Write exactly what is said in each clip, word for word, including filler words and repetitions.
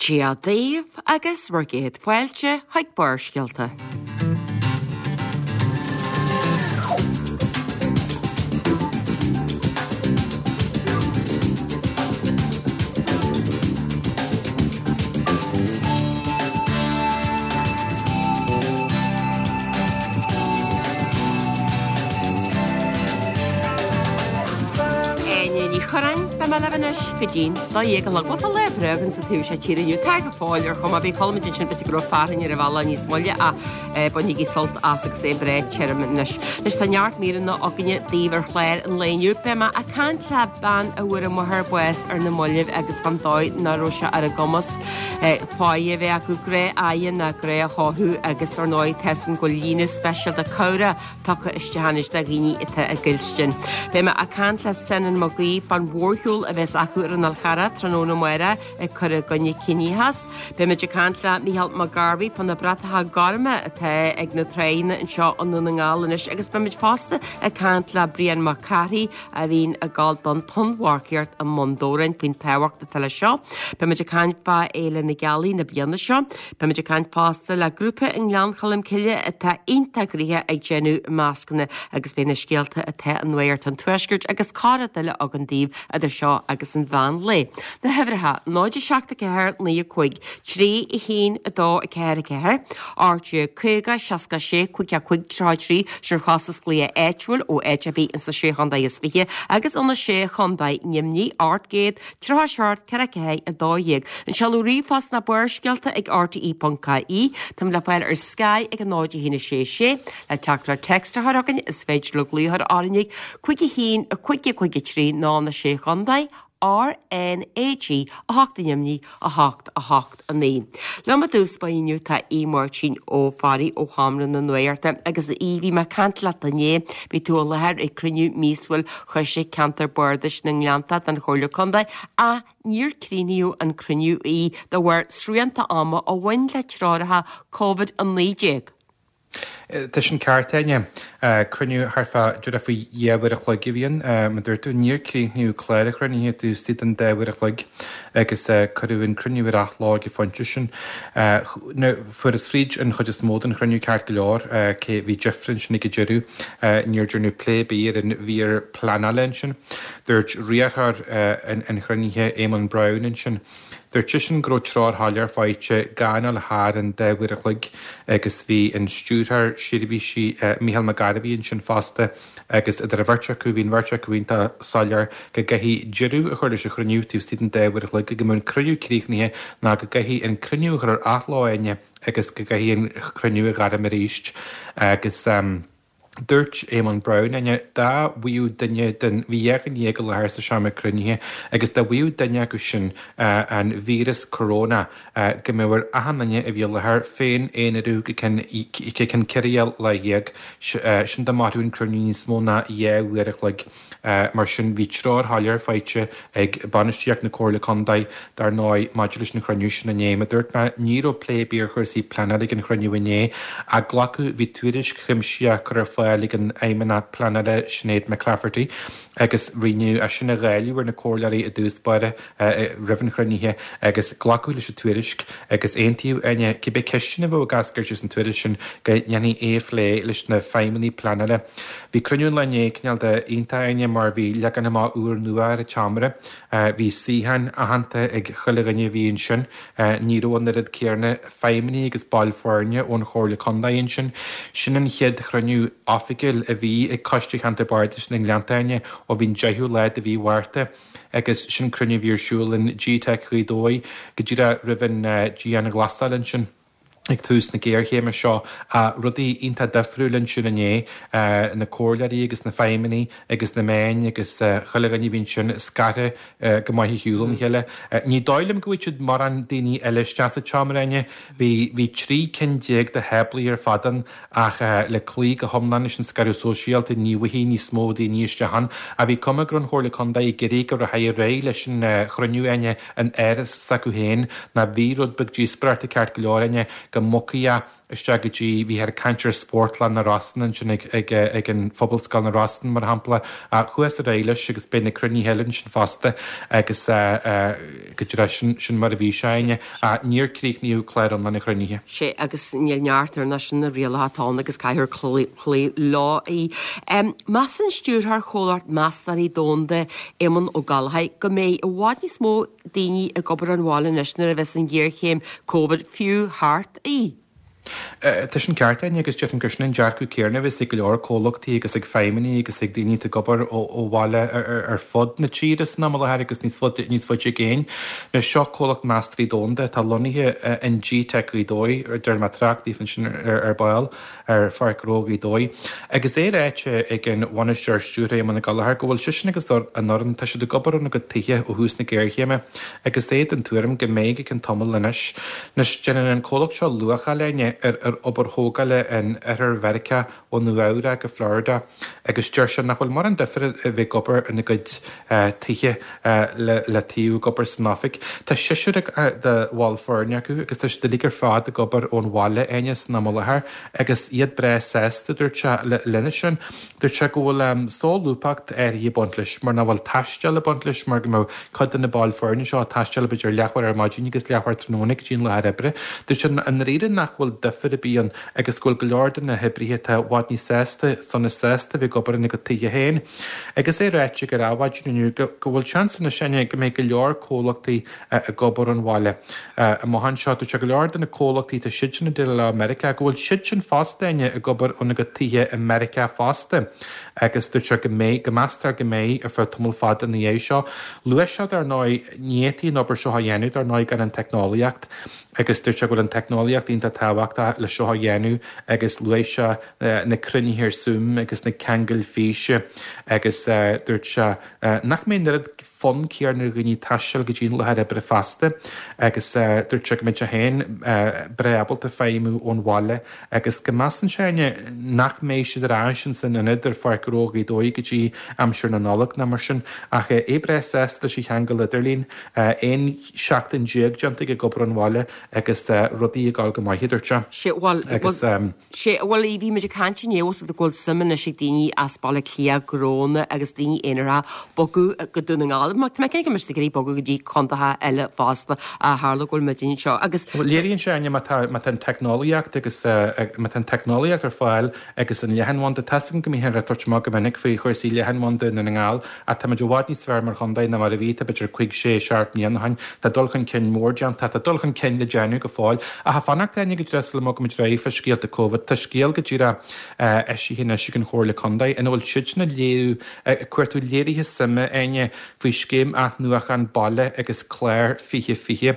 Dia daoibh agus bhur gcéad fáilte chuig Barrscéalta. Áine Ní Churráin, beidh mé libh anois go dtí'n dó dhéag a chlog. Bhuel tá lá breá againn sa taobh seo tíre inniu. Tá go fóill ar chuma ar bith. Chuala muid ansin b'fhéidir go raibh fearthainn ar an bhealach níos moille ach bainigí sult as agus é breá tirim anois. Anois tá neart míreanna againne daoibh ar chlár an lae inniu. Beidh mé ag caint le bean a bhfuair a máthair bás ar na mallaibh agus fán dóigh nach raibh sé ar a gcumas faighe a bheith acu, gnáth-fhaighe ná gnáth-chothú agus ar ndóigh tá a fhios againn go bhfuil líne speisialta cabhrach tugtha isteach anois do dhaoine atá i gcoilstin. Beidh mé ag caint le Senan Mac Aoidh fán mhórshiúl a bheas acu ar an Fhál Charrach tráthnóna amárach ag cur i gcoinne ciníochas. Beidh muid ag caint le Micheál Mac Gairbheith fá na bratacha gorma atá ag na tráigheanna anseo i nDún na nGall anois agus beidh muid fosta ag caint le Brian Mac Cárthaigh a bhíonn ag gabháil don tonnmharcaíocht i mBun Dobhráin faoin tábhacht atá leis seo. Beidh muid ag caint fá Fhéile na Gealaí na bliana seo. Beidh muid ag caint fosta le grúpa i nGleann Cholm Cille atá iontach gnoitheach ag déanamh mascanna agus beidh na scéalta atá i Nuacht an Tuaiscirt agus corr-rud eile againn daoibh idir seo agus an mheán lae. Na huimhreacha, náid a seacht a ceathair naoi a cúig, trí a haon a dó a ceathair a ceathair, ocht déag caoga seasca a sé cúig a cúig tríocha a trí, sin ar chostas glaoch áitiúil ó áit ar bith ins na Sé Chontae is Fiche agus ó na Sé Chontae Nimhní, ocht gcéad tríocha a seacht ceithre ceathair a dó dhéag. An seoladh ríomhphost ná Barrscéalta ag R T E ponc I E. Táim le fáil ar Sky ag a náid a haon a sé sé. Le teachtaireacht téacs a chur chugainn is féidir libh glaoch a chur orainn ag cúig a haon a cúig a cúig a trí ná na Sé Chontae R N A G a hocht i nDoimní a hocht a hocht a naoi. Liom i dtús báire inniu tá Aodh Máirtín Ó Fearraigh ó Sheomra na Nuachta agus a Aoidh bhí mé ag caint leat inné, bhí tú i láthair ag cruinniú míosúil Choiste Ceantar Bardais na nGleanntach den Chomhairle Contae ach níor críochnaíodh an cruinniú a Aoidh de bharr srianta ama a bhain le treoracha Covid a naoi déag. Tá sin ceart, Áine. Cruinniú thart fá díreach faoi dhá uair a chloig a bhí ann. Mar dúirt tú, níor críochnaíodh clár an chruinnithe taobh istigh den dá uair a chloig agus cuireadh an cruinniú ar athló ag an phointe sin. Fuarthas fríd an chuid is mó den chruinniú ceart go leor, cé bhí difear ansin ag an deireadh. Níor deineadh plé ar bith ar an mhír pleanála ansin. Dúirt riarthóir an chruinnithe, Éamonn Brown ansin, Dúirt seisean go raibh treoir shoiléir faighte gan dul thar an dá uair a chloig agus bhí an Stiúrthóir Seirbhísí Mícheál Mac Gairbheith ansin fosta agus idir an bheirt acu, bhí an bheirt acu iontach soiléir go gcaithfí deireadh a chur leis an chruinniú taobh istigh den dá uair a chloig, go mbeadh an cruinniú críochnaithe ná go gcaithfí an cruinniú a chur ar athló Áine agus go gcaithfí an cruinniú a ghairm arís agus. Dúirt Éamonn Brown, Áine, dá bhfaigheadh duine den, bhí dhá dhuine dhéag i láthair sa seomra cruinnithe, agus dá bhfaigheadh duine acu sin an víreas corona, go mbeadh ar achan duine a bhí i láthair féin-aonarú go ceann go ceann ceithre lá dhéag, sin dá mairfeadh an cruinniú níos mó ná dhá uair a chloig. Mar sin, bhí treoir shoiléir faighte ag bainistíocht na Comhairle Contae, dar ndóigh, maidir leis an chruinniú sin inné. Mar a dúirt mé, ní raibh plé ar bith ar chúrsaí pleanála ag an chruinniú inné, ach glacadh, bhí tuairisc chuimsitheach curtha ar fáil ag an Fheidhmeannach Pleanála Sinéad McClafferty agus rinneadh é sin a dháileadh ar na comhairleoirí i dtús báire roimh an chruinnithe agus glacadh leis an tuairisc agus aontaíodh, Áine, cibé ceisteanna a bheadh ag eascairt as an tuairisc sin go ndéanfaí é a phlé leis na feidhmeannaigh pleanála. Bhí cruinniú an lae inné cineál de iontach, Áine, mar bhí leagan amach úrnua ar an tseomra. Bhí suíocháin aitheanta ag chuile dhuine a bhí ansin. Ní raibh an oiread céarna feidhmeannaigh agus baill foirne ón Chomhairle Contae ansin. Sin an chéad chruinniú oifigiúil a bhí ag Coiste Cheantar Bardais na nGleannta, Áine, ó bhí an deichiú lá de mhí Mhárta agus sin cruinniú a bhí ar siúl in G-Tech Ghaoth Dobhair go díreach roimh an dianghlasáil ansin. ag tús na géarchéime seo. Rudaí iontach difriúil ansin inné, na comhairleoirí agus na feidhmeannaigh agus na meáin agus chuile dhuine a bhí ansin scartha go maith ar shiúl óna chéile. Ní dóigh liom go bhfaigheadh siad mórán daoine eile isteach sa tseomra, Áine. Bhí bhí trí cinn déag de tháblaí ar fad ann ach le cloí go hiomlán leis an scaradh sóisialta ní bhfaighidh níos mó daoine isteach ann. Ach bhí cuma go raibh an Chomhairle Contae ag iarraidh go rachfaí ar aghaidh leis an chruinniú, Áine, in áras s'acu féin. Ná bhí rud beag díospóireachta ceart go leor, Áine, go mbogfaí isteach go dtí, bhíthear ag caint ar Spórtlann na Rosann ansin ag ag ag an Phobalscoil na Rosann mar shampla. Chuathas ar aghaidh leis agus beidh na cruinnithe eile ansin fosta agus go díreach sin sin mar a bhí sé Áine. Níor críochnaíodh clár iomlán na gcruinnithe. Sé agus níl neart ar na sin na rialacha atá ann agus caithfear cloí leo. Measann stiúrthóir Chomhlacht Meastóirí Domhanda Éamonn Ó Gallchóir go mbeidh i bhfad níos mó daoine ag obair ón bhaile anois nuair a bheas an ghéarchéim Covid fiú thart í. Tá sin ceart Áine agus déarfainn gur sin an dearcadh céanna a bheas ag go leor comhlachtaí agus ag feidhmeannaigh agus ag daoine atá ag obair ó bhaile ar fud na tíre san am i láthair agus níos faide níos faide i gcéin. Anois seo comhlacht Meastóirí Domhanda atá lonnaithe in G-Tech Ghaoth Dobhair, déarfaidh mé trácht daoibh ansin ar ball. ar Pháirc Ghnó Ghaoth Dobhair. Agus é ráite ag an bhainisteoir stiúrtha Éamonn Ó Gallchóir go bhfuil seisean agus an fhoireann, tá siad ag obair óna gcuid tithe ó thús na géarchéime agus é den tuairim go mbeidh go ceann tamaill anois. Anois, déanann an comhlacht seo luacháil, Áine, ar ar obair thógála in oirthear Mheiriceá ó Nua Eabhrac go Florida agus deir sé nach bhfuil mórán difir a bheith ag obair ina gcuid tithe le le taobh ag obair san oifig. Tá seisear de bhaill foirne acu agus tá siad uilig ar fad ag obair ón bhaile, Áine, san am i láthair agus iad breá sásta, dúirt sé, lena sin. Dúirt sé go bhfuil solúbthacht áirithe ag baint leis mar nach bhfuil taisteal ag baint leis mar go mbeadh cuid de na baill foirne seo ag taisteal b'fhéidir leathuair ar maidin agus leathuair tráthnóna go dtí an láthair oibre. Dúirt sé i ndáiríre nach bhfuil difear ar bith ann agus go bhfuil go leor de na hoibrithe atá i bhfad níos sásta, sona sásta bheith ag obair ina gcuid tithe féin. Agus é ráite ag Adhmhaidin inniu go bhfuil seans anois Áine go mbeidh go leor comhlachtaí ag obair ón bhaile amach anseo. Dúirt sé go leor de na comhlachtaí tá siadsan ag déileáil leo i Meiriceá go bhfuil siadsan fosta Áine ag obair óna gcuid tithe i Meiriceá fosta agus dúirt sé go mbeidh, go meastar go mbeidh ar feadh tamall fada ina dhiaidh seo. Luaigh sé dar ndóigh, ní fhéadfaí an obair seo a dhéanamh dar ndóigh gan an teicneolaíocht agus dúirt sé go bhfuil an teicneolaíocht iontach tábhachtach le seo a dhéanamh agus luaigh sé na cruinnithe ar Zoom agus na ceangail físe agus dúirt sé nach mbeidh an oiread fonn céanna ar dhaoine taisteal go dtí an láthair oibre feasta agus dúirt sé go mbeidh sé féin breá ábalta feidhmiú ón bhaile agus go measann sé nach mbeidh siad ar ais ins an ionad ar Pháirc Ghnó Ghaoth Dobhair go dtí aimsir na Nollag ná mar sin ach é breá sásta leis an cheangal idirlín. Aon seachtain déag déanta aige ag obair ón bhaile agus rudaí ag dul go maith, a dúirt sé. Sé, bhuel, Agus. Sé, bhuel, bhí muid ag caint inné fós go bhfuil suim anois ag daoine as Baile Átha Cliath, gnónna agus daoine aonaracha bogadh go Dún na nGall. Tá mé cinnte go mbeidh siad ag iarraidh bogadh go dtí contaetha eile fosta a tharla go bhfuil muid anseo agus. Bhuel, léiríonn sé, Áine, má tá, má tá an teicneolaíocht agus, má tá an teicneolaíocht ar fáil agus an leathanbhanda, tá's agam go mbíthear ag tabhairt amach go minic faoi chúrsaí leathanbhanda i nDún na nGall ach tá muid i bhfad níos fearr mar chontae ná mar a bhí, tá b'fhéidir cúig, sé, seacht mbliana ó shin. Tá dul chun cinn mór déanta, tá dul chun cinn le déanamh go fóill. Ach ag fanacht, Áine, go díreach sula mbogaimid ar aghaidh fá scéalta Covid, tá scéal go díreach eisithe anois ag an Chomhairle Contae ina bhfuil siadsan ag léiriú, ag cuartú léirithe suime, Áine, faoi Scéim Athnuachan Baile agus Clár fiche fiche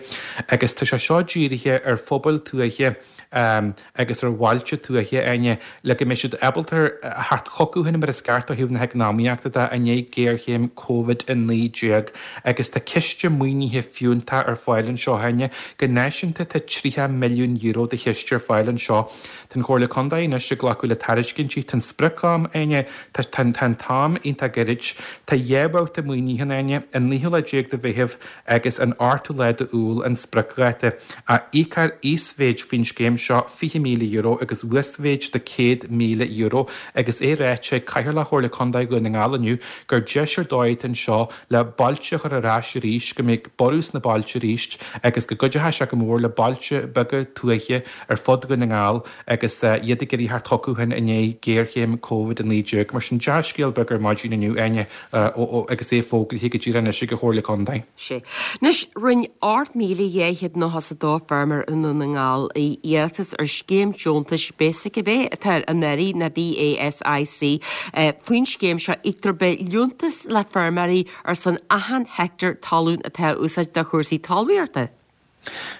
agus tá sé seo dírithe ar phobail tuaithe agus ar bhailte tuaithe, Áine, le go mbeidh siad ábalta a theacht chucu féin mar is ceart ó thaobh na heacnamaíochta de i ndiaidh géarchéim Covid a naoi déag agus tá ciste maoinithe fiúntach ar fáil anseo, Áine. Go náisiúnta tá tríocha milliún euro de chiste ar fáil anseo. Tá an Chomhairle Contae anois ag glacadh le tairiscintí. Tá an sprioc-am, Áine, tá tá an t-am iontach gairid. Tá dhá bhabhta maoinithe ann, Áine, an naoú lá déag de Mheitheamh agus an ochtú lá d'Iúil an spriocdháta. Íocfar íosmhéid faoin scéim seo, fiche míle euro, agus uasmhéid de céad míle euro agus é ráite ag Cathaoirleach Chomhairle Contae Dhún na nGall inniu gur deis ar dóigh atá anseo le bailte a chur ar ais arís, go mbeidh borradh sna bailte arís agus go gcuideoidh sé go mór le bailte beaga tuaithe ar fud Dhún na nGall agus iad ag iarraidh theacht chucu féin i ndiaidh géarchéim Covid a naoi déag. Mar sin, dea-scéal beag ar maidin inniu, Áine, agus é fógraithe go díreach anois ag an Chomhairle Contae. Sé. Anois, rinne ocht míle dhá chéad nócha is a dó feirmeoir i nDún na nGall iarratas ar scéim deontais BASIC ab é atá ar an áirí ná B A S I C. Faoin scéim seo íoctar liúntas le feirmeoirí ar son achan heicteár talún atá á úsáid do chúrsaí talmhaíochta.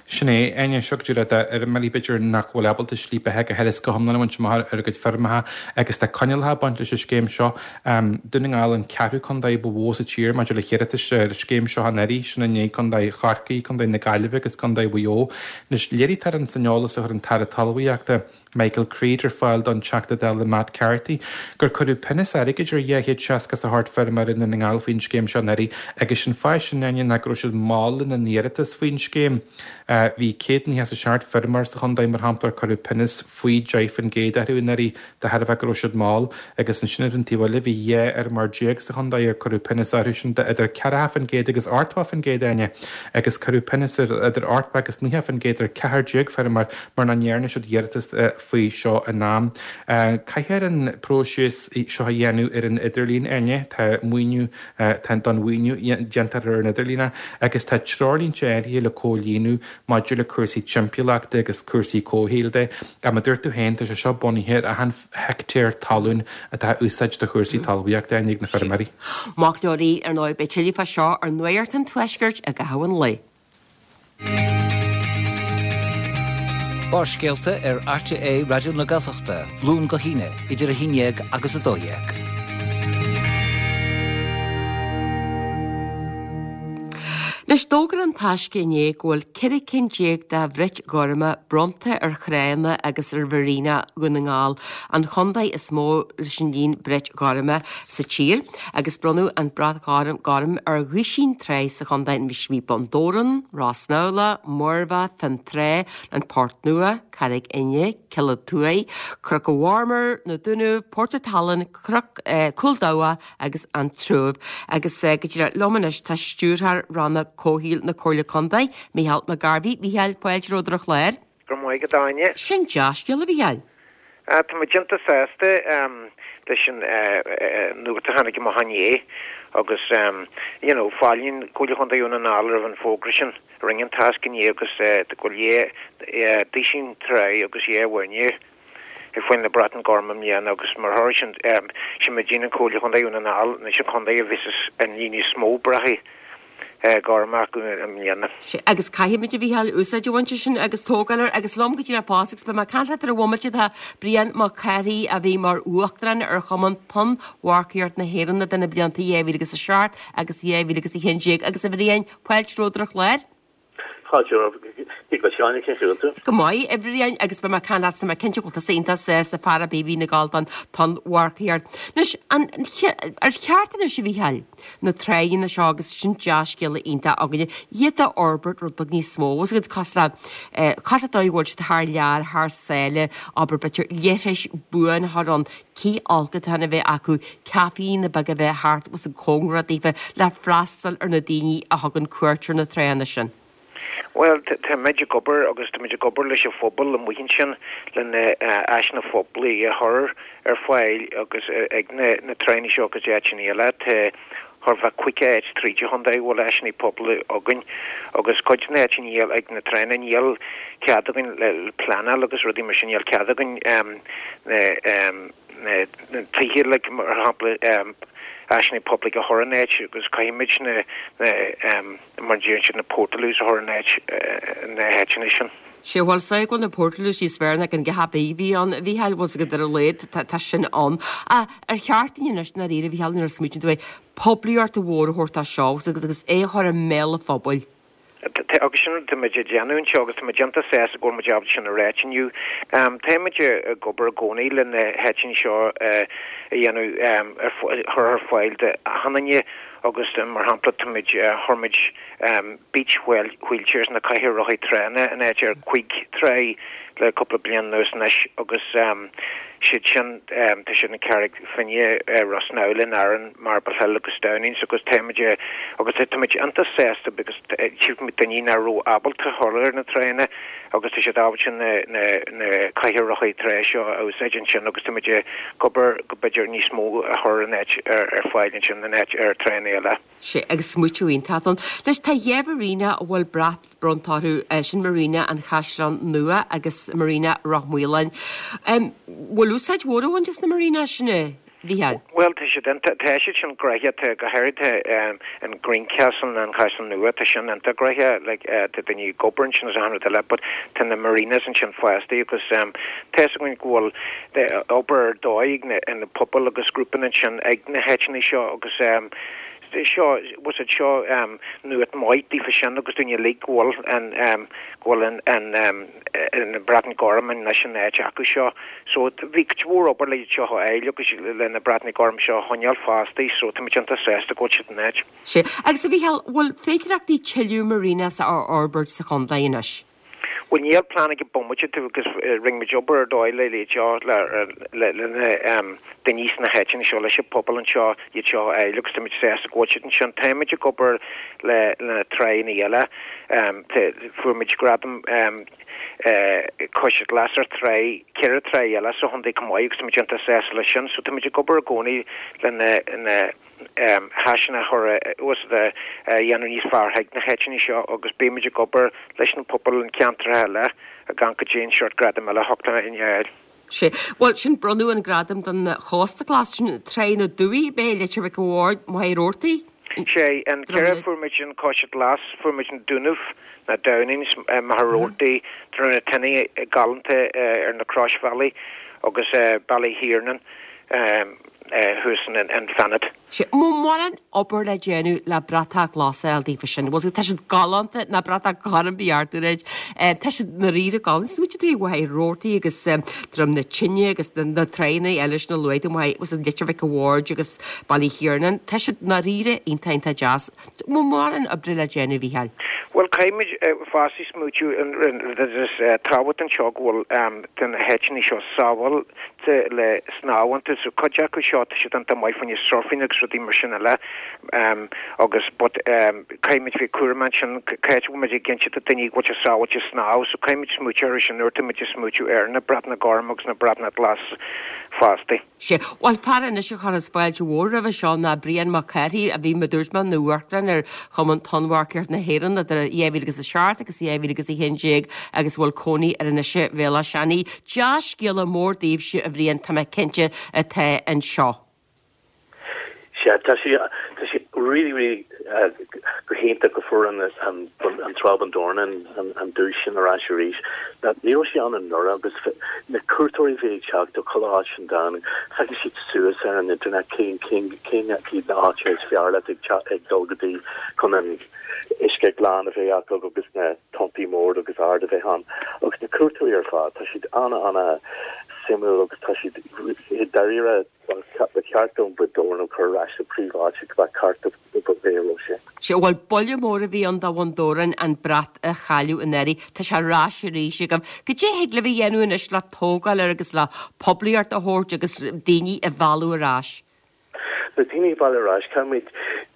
Sin é, Áine, seo go díreach d'fheirmeoirí b'fhéidir nach bhfuil ábalta slí beatha go huile is go hiomlán a bhaint amach ar a gcuid feirmeacha agus tá coinníollacha ag baint leis an scéim seo. Dún na nGall an ceathrú contae ba mhó sa tír maidir le hiarratais ar an scéim seo anuraidh, sin i ndiaidh Contae Chorcaí, Contae na Gaillimhe agus Contae Mhaigh Eo. Anois, léirítear in san eolas a chuir an tAire Talmhaíochta, Michael Creed ar fáil don Teachta Dála Matt Carthy gur cuireadh pionós airgid ar dhá chéad seasca is a hocht feirmeoir i nDún na nGall faoin scéim seo anuraidh agus an fáth sin, Áine, ná go raibh siad mall lena n-iarratas faoin scéim. Bhí céad nócha is a seacht feirmeoir sa chontae, mar shampla, ar cuireadh pionós faoi deich faoin gcéad orthu anuraidh de thairbhe go raibh siad mall, agus ansin ar an taobh eile bhí dhá fheirmeoir déag sa chontae ar cuireadh pionós orthu sin de idir ceathracha faoin gcéad agus ochtó faoin gcéad, Áine, agus cuireadh pionós ar idir ochtó agus naocha faoin gcéad ar ceathair déag feirmeoir mar nach ndearna siad iarratas faoi seo in am. Caithfear an próiseas seo a dhéanamh ar an idirlíon, Áine, tá maoiniú, tá don mhaoiniú, déantar ar an idirlíon é, agus tá treoirlínte áirithe le comhlíonadh maidir le cúrsaí timpeallachta agus cúrsaí comhshaoil de. Ach mar a dúirt tú féin, tá sé seo bunaithe ar achan heicteár talún atá á úsáid do chúrsaí talmhaíochta ag na feirmeoirí. Mac Leoraí, ar ndóigh, beidh tuilleadh fá seo ar Nuacht an Tuaiscirt i gcaitheamh an lae. Barrscéalta ar RTÉ Raidió na Gaeltachta, Luan go hAoine, idir a haon déag agus a dó dhéag. Anois, d'fhógair An Taisce inné go bhfuil ceithre cinn déag de bhrait ghorma bronnta ar thránna agus ar mharina Dhún na nGall, an chontae is mó leis an líon brait ghorma sa tír, agus bronnadh an brat gorm ar dhuisín trá sa chontae, bhí Bun Dobhráin, Rossnowlagh, Muirbheach, Fionntrá, an Port Nua, Carraig Fhinne, Cill an Tuaidh, Cnoc an Mharmair, Na Dúnaibh, Port an tSalainn, Cnoc, Cúl Dabhach agus An Trúib. Agus go díreach liom anois tá Stiúrthóir Rannóg Comhshaoil na Comhairle Contae, Mícheál Mac Gairbhí. Mícheál, fáilte romhat ar an chlár. Go raibh maith agat, a Áine. Sin dea-scéal, a Mhícheáil. Tá muid iontach sásta leis an nuacht a tháinig amach inné agus you know fáiltíonn Comhairle Chontae Dhún na nGall roimh an bhfógra sin a rinne an Taisce inné agus go bhfuil dhá duisín trá agus dhá mhuirnín ag fáil na brataí gorma i mbliana agus mar thoradh sin sin muidne an Comhairle Chontae Dhún na nGall anois an contae a bhí an líon níos mó brataí gorma acu i mbliana. Sea, agus caithfimid, a Mhícheáil, úsáid a bhaint as sin agus tógáil air agus liom go díreach fosta agus beidh mé ag caint leat ar an bhomaite tá Brian Mac Cárthaigh a bhí mar Uachtarán ar Chumann Tonnmharcaíocht na hÉireann idir na blianta dhá mhíle agus a seacht agus dhá mhíle agus a haon déag agus a Bhriain, fáilte romhat ar an chlár. Fáilte romhat, a Áine, cén chaoi a bhfuil tú? Go maith, a Bhriain, agus beidh mé ag caint leat, tá mé cinnte go bhfuil tusa iontach sásta fear ar bith a bhíonn ag gabháil don tonnmharcaíocht. Anois, an, ar cheart anois, a Mhícheáil, na tránna seo agus sin dea-scéala iontach againne, iad a fhorbairt rud beag níos mó, agus iad cosúil le, cosúil le dóigh a bhfuil siad thar lear, thar sáile, abair b'fhéidir leithris buan a chur ann, cith folcadán a bheith acu, caiféanna beaga a bheith thart agus cóngarach daofa le freastal ar na daoine a thugann cuairt ar na tránna sin. Bhuel, táimid ag obair agus táimid ag obair leis an phobal amuigh ansin le na áiseanna poiblí a chur ar fáil agus ag na tránna seo agus áiteanna eile. Tá thart fá caoga áit tríd an chontae a bhfuil áiseanna poiblí againn agus cuid de na háiteanna níl ag na tránna níl cead againn le pleanáil agus rudaí mar sin níl cead againn na na tithe like mar shampla áiseanna poiblí a chur in áit agus caithfimid na mar a deireann siad na portaloos a chur in áit na háiteanna sin. Sea, bhuel, is dóigh go bhfuil na portaloos níos fearr ná an gach a bhí ann, a Mhícheáil, bhfuil 's agat ar a laghad, tá sin ann. Ach ar cheart dúinn anois, i ndáiríre, a Mhícheáil, nuair a smaoitíonn tú air, poiblíocht mhór a thabhairt dó seo, bhfuil 's agat, agus é a chur i mbéal an phobail. Agus sin rud táimid ag déanamh anseo agus táimid iontach sásta go bhfuil muid ábalta sin a ráit inniu. Táimid ag obair i gcónaí le na háiteanna seo a dhéanamh, a chur ar fáil d'achan duine agus mar shampla táimid, chuir muid beach wheelchairs na cathaoir rothaí tránna in áit ar cúig trá le cúpla bliain anuas anois agus siad sin, tá siad in Carraig Finne, Ros Numhla, Árainn, Marble Hill agus Downings agus táimid agus táimid iontach sásta because tchífimid daoine nach raibh ábalta dhul ar na tránna agus tá siad ábalta na na na cathaoir rothaí trá seo a úsáid ansin agus táimid ag obair go b'fhéidir níos mó a chur in áit ar ar fáil ansin in áit ar tránna eile. Sea, agus smaoitiú iontach ann. Anois tá dhá mharina a bhfuil brat bronnta orthu, sin Marina an Chaisleáin Nua agus Marina Ráth Maoláin. Bhfuil úsáid mhór á bhaint as na marinas sin, a Mhícheáil? Bhuel, tá siad iontach, tá siad sin gnoitheach, tá go háirithe an Greencastle nó an Caisleán Nua, tá sin iontach gnoitheach, like tá daoine ag obair ansin agus achan rud eile, but tá na marinas ansin fosta agus tá fhios againn go bhfuil obair ar dóigh ag na pobail agus grúpanna ansin ag na háiteanna seo agus seo, was it seo nuacht maith daofa sin agus dúinne uilig go bhfuil an, go bhfuil an, an, an Brat Gorm anois in áit acu seo. So bhí cuid mhór obair le iad seo a fháil agus le na Brataí Gorm seo a choinneáil fosta so táimid iontach sásta go bhfuil siad in áit. Sea. Agus a Mhícheáil, bhfuil féidearthachtaí tuilleadh marinas a fhorbairt sa chontae anois? Bhuel níl plean ag an bomaite agus rinne muid obair ar dóigh le iad seo le le le na daoine sna háiteanna seo leis an pobal anseo iad seo a fháil agus táimid sásta go bhfuil siad ansin. Táimid ag obair le le na tránna eile fuair muid gradam Cois Glas ar trá ceithre trá eile sa chontae chomh maith agus táimid iontach sásta leis sin so táimid ag obair i gcónaí le na na háiseanna a chur a dhéanamh níos fearr chuig na háiteanna seo agus beimid ag obair leis na pobail an ceantar eile a gan go dtí an seort gradam eile a theacht in fháil. Sé. Bhuel sin bronnadh an gradam don Chósta Glas sin Trá na Dumhaí bé Leitir Mhic an Bhaird Machaire Rabhartaigh. Sé an ceithre fuair muid an Cois Glas fuair muid an Dúnaibh na Downings Machaire Rabhartaigh Droim na Tine galánta ar na croisbhealaí agus Baile Thiarnáin thuas an Fanad. Sé mórán obair le déanamh le bratach glas a fháil daofa sin. Bhuel tá siad galánta na bratach gorm beartúid tá siad dáiríre galánta smuide tú Mhachaire Rabhartaigh agus Droim na Tine agus na tránna eile na luaigh was Leitir Mhic an Bhaird agus Baile Thiarnáin. Tá siad dáiríre iontach iontach deas. Mórán oibre le déanamh Mhícheáil. Well caithfimid fosta smaoitiú tábhacht anseo go bhfuil den háiteanna seo sábháilte le snámh iontu so cuid acu seo tá siad iontach maith fá choinne surfing agus rudaí mar sin eile agus but caithfimid bheith cúramach ansin caithfidh muid ag cinntiú do daoine go bhfuil sé sábháilte snámh so caithfimid smaoitiú ar sin nuair atá muid ag smaoitiú ar na bratanna gorm agus na bratanna glas fosta. Sé Bhuel fear anois a chuireas fáilte mhór roimhe seo ná Brian Mac Cárthaigh a bhí mar dúirt mé ina uachtarán ar Chumann Tonnmharcaíocht na hÉireann idir dhá mhíle agus a seacht agus dhá mhíle agus a haon déag agus bhfuil cónaí ar Inis Bhéal Átha Seanaidh. Dea-scéala mór daoibhse a Bhriain tá mé cinnte atá anseo. Sé tá sé tá sé really really uh, go hiontach go fuair an an an trá Bun Dobhráin an an, an duais sin ar ais arís. Ní raibh sé ann anuraidh agus na cuairteoirí bhí ag teacht ó chuile áit an domhan feiceann siad suas ar an internet cén cén cén cén na áite is fearr leat ag ag dul go dtí chun an uisce glan a bheith acu agus na tonntaí mór agus ard a bheith ann agus na cuairteoirí ar fad tá siad ana ana suimiúil agus tá siad dáiríre ba cheart don Bhun Dobhráin chur ar ais sa príomháit go ceart go sé. Sé bhfuil buille mór a bhí ann do Bhun Dobhráin an brat a chailleadh anuraidh Tá sé ar ais arís agam. Goidé thig libh a dhéanamh anois le tógáil air agus le poiblíocht a thabhairt agus daoine a mhealladh ar ais. Na daoine a mhealladh ar ais caithfimid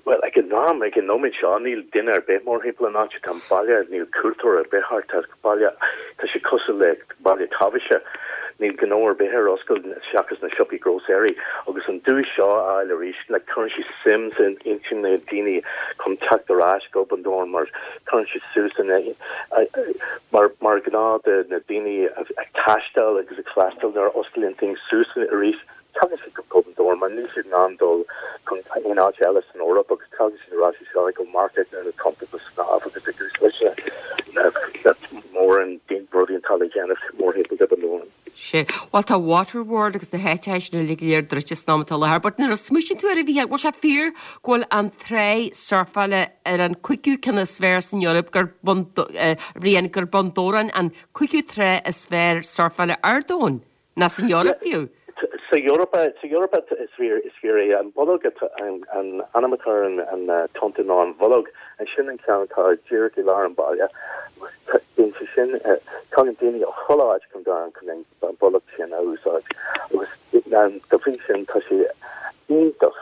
well ag an am ag an nóiméad seo níl duine ar bith mórthimpeall an áit tá baile níl cuairteoir ar bith thart tá baile tá sé cosúil le baile taibhse níl gnó ar bith ar oscailt seachas na siopaí grósaeirí agus an duais seo a fháil arís le cuireann sé suim san intinn na daoine chun teacht ar ais go Bun Dobhráin mar cuireann sé suas in mar mar gnáth de na daoine ag taisteal agus ag freastal ar osclaíonn thing suas arís tagann siad go Bun Dobhráin mar níl siad in ann dul chun aon áit eile san Eoraip agus tagann siad ar ais seo go market ar na tonnta go snámh agus ag úsáid mór an rudaí atá le déanamh mórthimpeall de Bhun Dobhráin. Sé Well tá Waterworld agus na háiteanna sin uilig go léir druidte san am atá láthair, but nuair a smaoiníonn tú ar a bhí bhfuil sé fíor go bhfuil an trá surfála ar an cúigiú ceann is fearr san Eoraip gur rian gur Bun Dobhráin an cúigiú trá is fearr surfála ar domhan ná san Eoraip fiú. Sa Eoraip sa Eoraip is fíor is fíor é an bolg an an ainm atá an an tonnta ná an bholg an sin an ceann atá díreach i lár an baile bíonn sé sin tagann daoine ó chuile áit chun gan chun an bolg sin a úsáid agus dá bhrí sin tá sé iontach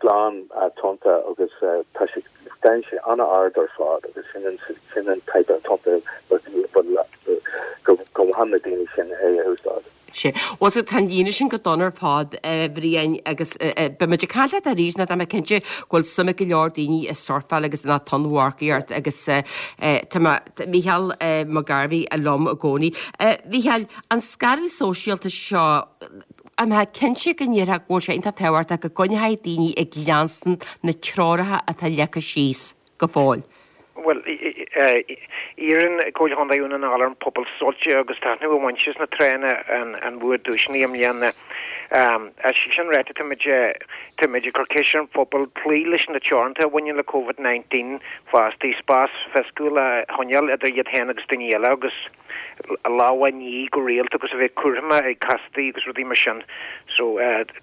glan tonnta agus tá sé Tá sé an-ard ar fad agus sin an sin an type tonnta go go na daoine sin é a úsáid. Sé Was tá líine sin go dona ar fad Bhriain agus beimid ag caint leat arís ná tá mé cinnte go bhfuil suim ag go leor daoine i surfáil agus na tonnmharcaíocht agus tá Mícheál Mac Gairbhí liom i gcónaí. Mhícheáil an scaradh sóisialta seo an mé cinnte go ndéarfá go bhfuil sé iontach tábhachtach go gcoinneoidh daoine ag leanstan na treoracha atá leagtha síos go fóill. Well iarrann Comhairle Chontae Dhún na nGall ar an pobal sult agus taitneamh a bhaint as na tránna an an bhfuair duaiseanna i mbliana. Um, sin ráite táimid táimid ag cur ceist ar an phobal cloí leis na teoranta a bhaineann le COVID nineteen fosta spás fisiciúil a choinneáil idir iad féin agus daoine eile agus lámha a ní go rialta agus a bheith cúramach ag castaí agus rudaí mar sin. So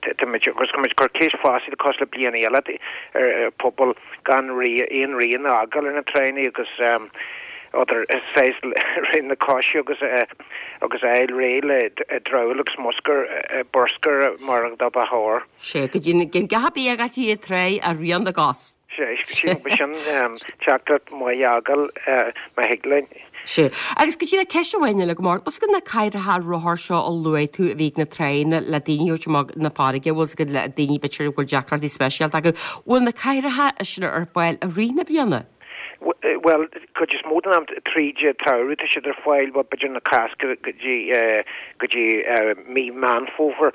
táimid agus táimid ag cur ceist fosta cosúil le bliana eile ar pobal gan aon rian a fhágáil ar na tránna agus um, other saghas na coise agus agus a fháil réidh le dramhaíl agus muscar bruscar mar do ba chóir. Sé go dtí gin gach bí agat í tré a rian na gcos. Sé sin teachtaireacht maith a fhágáil má thig linn. Sé. Agus go dtí ceist amháin eile go mór, bhfuil na cathaoireacha rothar seo a luaigh tú a bhí ag na tráigheanna le daoine a thabhairt amach na farraige, bhfuil go le daoine b'fhéidir bhfuil deacrachtaí speisialta acu, bhfuil na cathaoireacha sin ar fáil i rith na bliana? Bhuel, cuid is mó den am tríd an tsamhradh tá siad ar fáil, bhuel b'fhéidir na Cásca go dtí go dtí mí Meán Fómhair.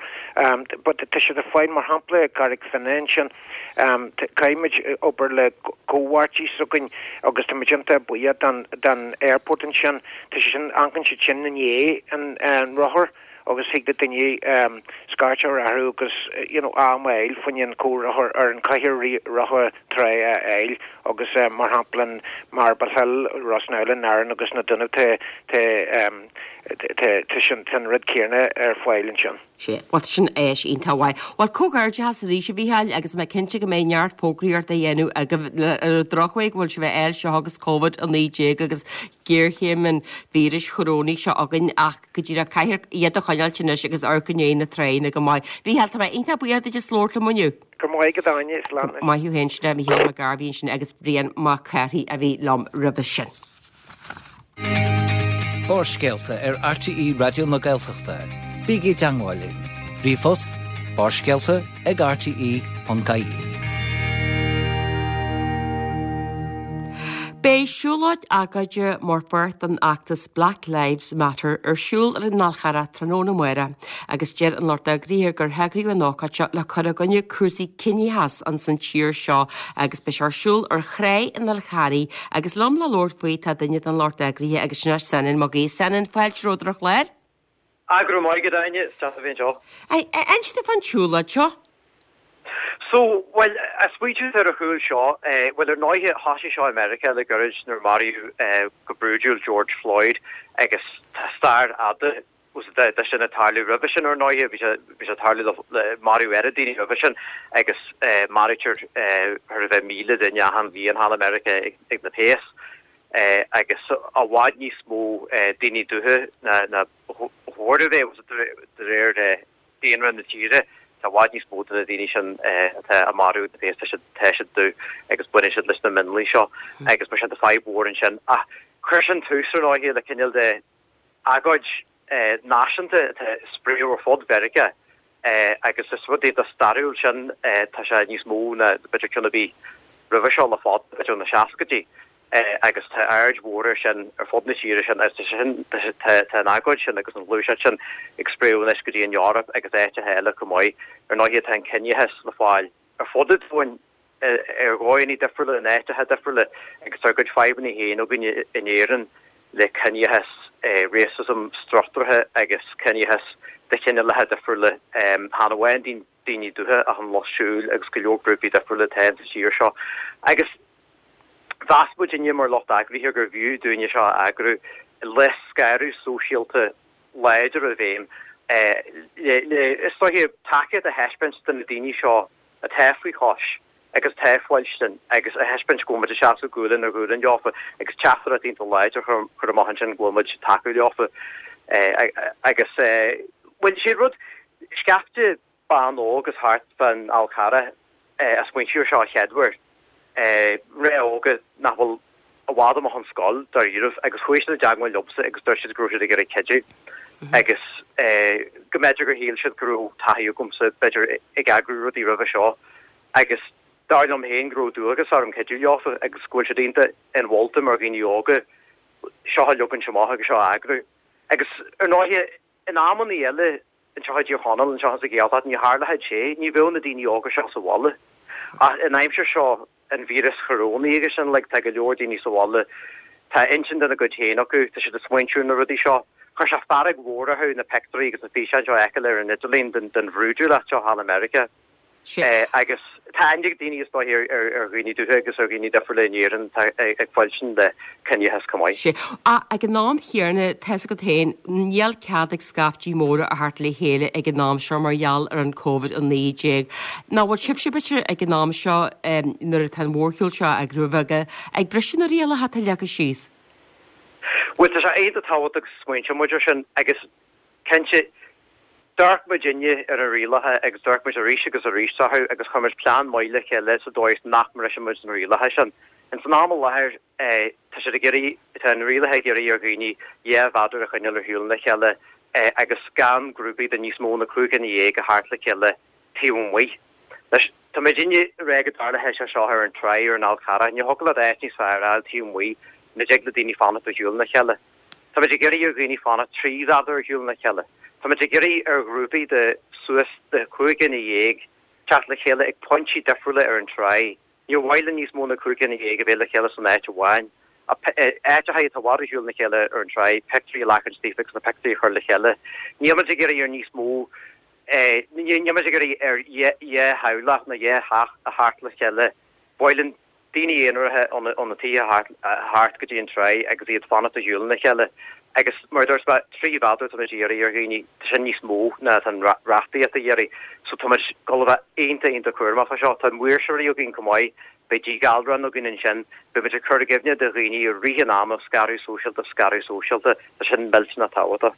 But tá siad ar fáil mar shampla i gCarraig Finne ansin. Caithfimid obair le comhpháirtí s'againn agus táimid iontach buíoch don don airport ansin. Tá sé sin, amharcann siad sin i ndiaidh an an rothar agus thig le duine scairt a chur orthu agus you know am a fháil fá choinne an comhrothar ar an chathaoir rotha trá a fháil agus mar shampla in Marble Hill, Ros na Oileán, Árainn agus na Dúnaibh tá tá tá tá sin tá an rud céanna ar fáil ansin. Sé, bhuel sin áis iontach mhaith. Bhuel comhghairdeachas arís a Mhícheáil agus mé cinnte go mbeidh neart fógraíocht á dhéanamh agaibh ar an drochuair go bhfuil sibh á fháil seo agus Covid a naoi déag agus géarchéim an víris chorónaigh seo againn ach go díreach caithfear iad a choinneáilt anois agus amharc i ndiaidh na tráigheanna go maith. Mhícheáil, tá mé iontach buíoch duit as labhairt liom inniu. Go maith agat Áine, slán. Maith thú féin, sin é Mícheál Mac Gairbhí ansin agus Brian Mac Cárthaigh a bhí liom roimhe sin. Barrscéalta ar RTÉ Raidió na Gaeltachta. Bígí i dteagmháil linn. Ríomhphost barrscéalta ag rte.ie. Beidh siúlóid agóide mar pháirt den fheachtas Black Lives Matter ar siúl ar an Fhál Charrach tráthnóna amárach agus deir an lucht eagraithe gur heagraíodh an ócáid seo le cur i gcoinne cúrsaí ciníochas ins an tír seo agus beidh sé ar siúl ar thrá an Fháil Charraigh agus liom le labhairt faoi tá duine den lucht eagraithe agus sin é Senan Mac Aoidh. Senan, fáilte romhat ar an chlár. Ah, go raibh maith agat, Áine, is deas a bheith anseo. Inis domh fán tsiúlóid seo. So, bhuel, an smaointiú ar a chúl seo, bhuel, ar ndóighe, thosaigh seo i Meiriceá le gairid nuair a maraíodh go brúidiúil George Floyd agus tá stair fhada de sin ag tarlú roimhe sin, ar ndóighe, bhí sé, bhí sé ag tarlú le, maraíodh oiread daoine roimhe sin agus maraítear thar a bheith míle duine achan bhliain thall i Meiriceá ag na péas agus i bhfad níos mó daoine dubha ná ná ba chóir a bheith, de réir daonra na tíre, tá i bhfad níos mó de na daoine sin atá á marú ag na péas, tá siad tá siad dubh agus baineann siad leis na mionlaigh seo agus mar sin tá fadhb mhór ansin. Ach chuir sin tús ar ndóighe le cineál de agóid náisiúnta atá ag spréadh ar fud Mheiriceá agus is rud iontach stairiúil sin, tá sé níos mó ná b'fhéidir ceann ar bith roimhe seo le fada, b'fhéidir ó na seascaidí. agus tá aird mhór air sin ar fud na tíre sin agus tá sin, tá an agóid sin agus an ghluaiseacht sin ag spréadh anois go dtí an Eoraip agus áiteacha eile chomh maith. Ar ndóighe tá an ciníochas le fáil ar fud an domhain ar dhóigheanna difriúla in áiteacha difriúla agus tá ár gcuid fadhbanna féin againn in Éirinn le ciníochas, racism struchtúrtha agus ciníochas de chineálacha difriúla, chan amháin daoine dubha ach an lucht siúil agus go leor grúpaí difriúla atá sa tír seo. Agus Mheas muidinne mar lucht eagraithe gurbh fhiú dúinne seo a eagrú le scaradh sóisialta láidir i bhfeidhm le, is dóiche, tacaíocht a thaispeáint do na daoine seo atá faoi chois agus atá ag fuilstin agus a thaispeáint go bhfuil muid ag seasamh gualainn ar ghualainn leofa agus teachtaireacht iontach láidir a chur amach ansin go bhfuil muid ag tacú leofa agus, bhuel, sé rud, scaifte ban óg as thart fán Fhál Charrach a smaointigh air seo a chéaduair. Mná óga nach bhfuil i bhfad amach ón scoil, dáiríribh, agus chuaigh siad i dteagmháil liomsa agus dúirt siad go raibh siad ag iarraidh cuidiú agus go mb'fhéidir gur shíl siad go raibh taithí agamsa, b'fhéidir, ag eagrú rudaí roimhe seo agus dar liom féin go raibh dualgas orm cuidiú leofa agus go bhfuil siad iontach inmholta mar dhaoine óga seo a leogaint amach agus seo a eagrú. Agus ar ndóighe, in amannaí eile, Anseo i dTír Chonaill, anseo sa Ghaeltacht, ní tharlódh sé, ní bheadh na daoine óga seo sa bhaile. Ach in aimsir seo an víreas chorónaigh agus sin like, tá go leor daoine sa bhaile, tá intinn dena gcuid féin acu, tá siad ag smaointiú ar na rudaí seo. Chuir sé fearg mhór orthu na pictiúirí agus na físeáin seo a fheiceáil ar an idirlíon den den bhrúidiúlacht seo thall i Meiriceá. Agus tá aithne ag daoine is dóiche ar dhaoine dubha agus ar dhaoine difriúla in Éirinn atá ag fuilstin le ciníochas chomh maith. Sea. Ach ag an am chéanna, tá's agat féin, níl cead ag scaiftí móra a theacht le chéile ag an am seo mar gheall ar an Covid a naoi déag. Nach bhfuil sibhse b'fhéidir ag an am seo nuair atá an mhórshiúl seo á eagrú agaibh ag briseadh na rialacha atá leagtha síos? Bhuel tá sé iontach tábhachtach go smaointeodh muid ar sin agus cinnte d'amharc muidinne ar na rialacha agus d'amharc muid arís agus arís orthu agus chuir muid plean maith le chéile sa dóigh is nach mbrisfidh muid na rialacha sin. Ins an am i láthair tá siad ag iarraidh, tá na rialacha ag iarraidh ar dhaoine dhá mhéadar a choinneáil ar shiúl óna chéile agus gan grúpaí de níos mó na cúig dhuine dhéag a theacht le chéile taobh amuigh. Anois, tá muidinne ag rá go dtarlóidh sé seo ar an tráigh ar an Fhál Carrach, ní thiocfadh leat áit níos fearr a fháil taobh amuigh ina dtig le daoine fanacht ar shiúl óna chéile. Tá muid ag iarraidh ar dhaoine fanacht trí mhéadar ar shiúl óna chéile. Tá muid ag iarraidh ar ghrúpaí de suas de chúig dhuine dhéag teacht le chéile ag pointí difriúla ar an tráigh. Níor mhaith linn níos mó na cúig dhuine dhéag a bheith le chéile san áit amháin. Áiteacha atá i bhfad ar shiúl óna chéile ar an tráigh, pictiúirí a ghlacaint daofa agus na pictiúirí a chur le chéile. Níl muid ag iarraidh ar níos mó, níl muid ag iarraidh ar dhá theaghlach nó dhá theach a theacht le chéile. Ba mhaith linn daoine aonaracha ó na tithe a theacht go dtí an tráigh agus iad fanacht ar shiúl óna chéile. Agus mar a dúirt mé, trí mhéadar tá muid ag iarraidh ar dhaoine, tá sin níos mó ná atá an reachtaíocht ag iarraidh. So tá muid ag dul a bheith iontach iontach cúramach fá seo. Tá maoirseoirí againn chomh maith. Beidh díghalrán againn ansin. Beidh muid ag cur i gcuimhne do dhaoine i rith an ama, scaradh sóisialta, scaradh sóisialta. Tá sin millteanach tábhachtach.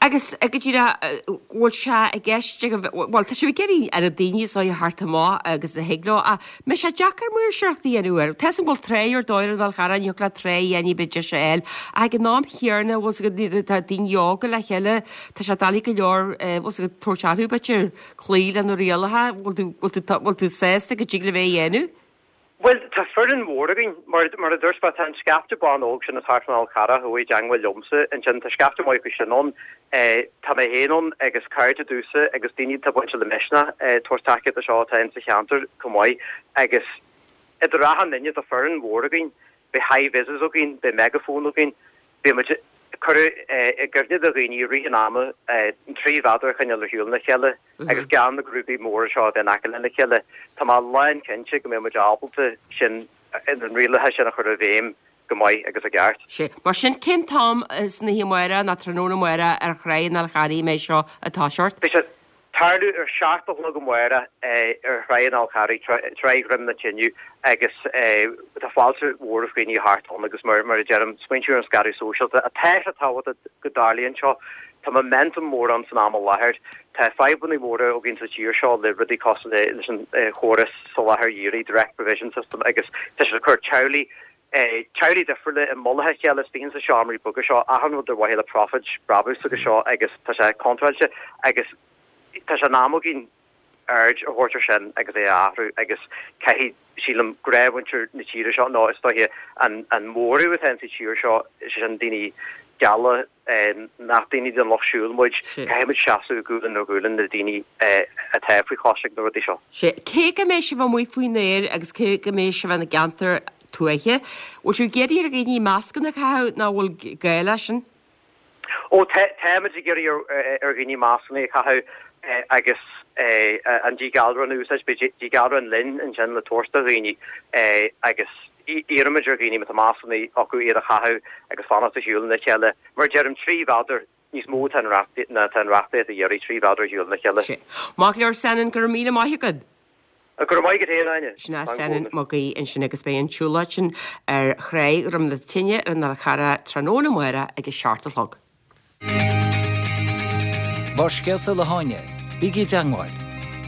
Agus go díreach, bhfuil sé i gceist agaibh, bhuel, tá sibh ag iarraidh ar na daoine is dóigh a theacht amach agus a thig leo, ach an mbeidh sé deacair maoirseoireacht a dhéanamh air. Tá 'fhios agam go bhfuil tráigh ar dóigh ar an Fhál Charrach, ní thiocfadh leat tráigh a dhéanamh b'fhéidir deis a fháil, ach ag an am chéanna, bhfuil 's agat, tá daoine óga le chéile, tá sé doiligh go leor, bhfuil 's agat, tabhairt orthu, b'fhéidir, cloí le na rialacha, bhfuil tú, bhfuil tú, bhfuil tú sásta go dtig libh é a dhéanamh? Bhuel, tá foireann mhór againn. Mar mar a dúirt mé, tá an scaifte ban óg sin as thart fán Fhál Charrach a chuaigh i dteangmháil liomsa ansin, tá scaifte maith acu sin ann. Tá mé féin ann agus cairde domhsa agus daoine atá bainte le Misneach ag tabhairt tacaíocht do seo atá insa cheantar chomh maith. Agus idir achan duine, tá foireann mhór againn. Beidh hi-vises againn, beidh megaphone againn, beidh muid ag cur i gcuimhne do dhaoine i rith an ama an trí mhéadar a choinneáil ar shiúl óna chéile agus gan na grúpaí móra seo a bheith in aice lena chéile. Tá mé lán cinnte go mbeidh muid ábalta sin, na rialacha sin a chur i bhfeidhm go maith agus i gceart. Sea. Mar sin, cén t-am san oíche amárach nó tráthnóna amárach ar Thráigh an Fháil Charraigh a mbeidh seo ag toiseacht? Beidh sé ag tarlú ar seacht a chlog amárach ar Thráigh an Fháil Charraigh, Tráigh Dhroim na Tine agus tá fáilte mhór roimh dhaoine a theacht ann agus mar a deirim, smaointiú ar an scaradh sóisialta. Tá sé tábhachtach go dtarlaíonn seo. Tá momentum mór ann san am i láthair. Tá fadhbanna móra againn sa tír seo le rudaí cosúil leis an chóras soláthair dhírigh, direct provision system, agus tá siad ag cur teaghlaigh teaghlaigh difriúla i mullach a chéile istigh insa seomraí beaga seo, achan rud ar mhaithe le profit, brabús agus seo agus tá sé contráilte agus tá sé in am againn aird a thabhairt ar sin agus é a athrú agus caithfidh, sílim, gnáthmhuintir na tíre seo nó is dóiche an an móramh atá insa tír seo, sé sin daoine geala, nach daoine den lucht siúil muid, caithfidh muid seasamh gualainn ar ghualainn le daoine atá faoi chois ag na rudaí seo. Sea, cé go mbeidh sibh amuigh faoin aer agus cé go mbeidh sibh ina gceantar tuaithe, bhfuil sibh ag iarraidh ar dhaoine mascanna a chaitheamh nó an bhfuil gá leis sin? Ó, táimid ag iarraidh ar dhaoine mascanna a chaitheamh agus an díghalrán a úsáid. Beidh díghalrán linn ansin le tabhairt do dhaoine agus iarraimid ar dhaoine má tá mascanna acu iad a chaitheamh agus fanacht ar shiúl óna chéile. Mar a deirim, trí mhéadar níos mó atá ná atá an reachtaíocht ag iarraidh, trí mhéadar ar shiúl óna chéile. Sea. Maith go leor, Senan, go raibh míle maith agat. Go raibh maith agat féin, Áine. Sin é Senan Mag Aoidh ansin agus beidh an tsiúlóid sin ar Thráigh Dhroim na Tine ar an Fhál Charrach tráthnóna amárach ag a seacht a chlog. Barrscéalta le hÁine, bígí i dteangmháil,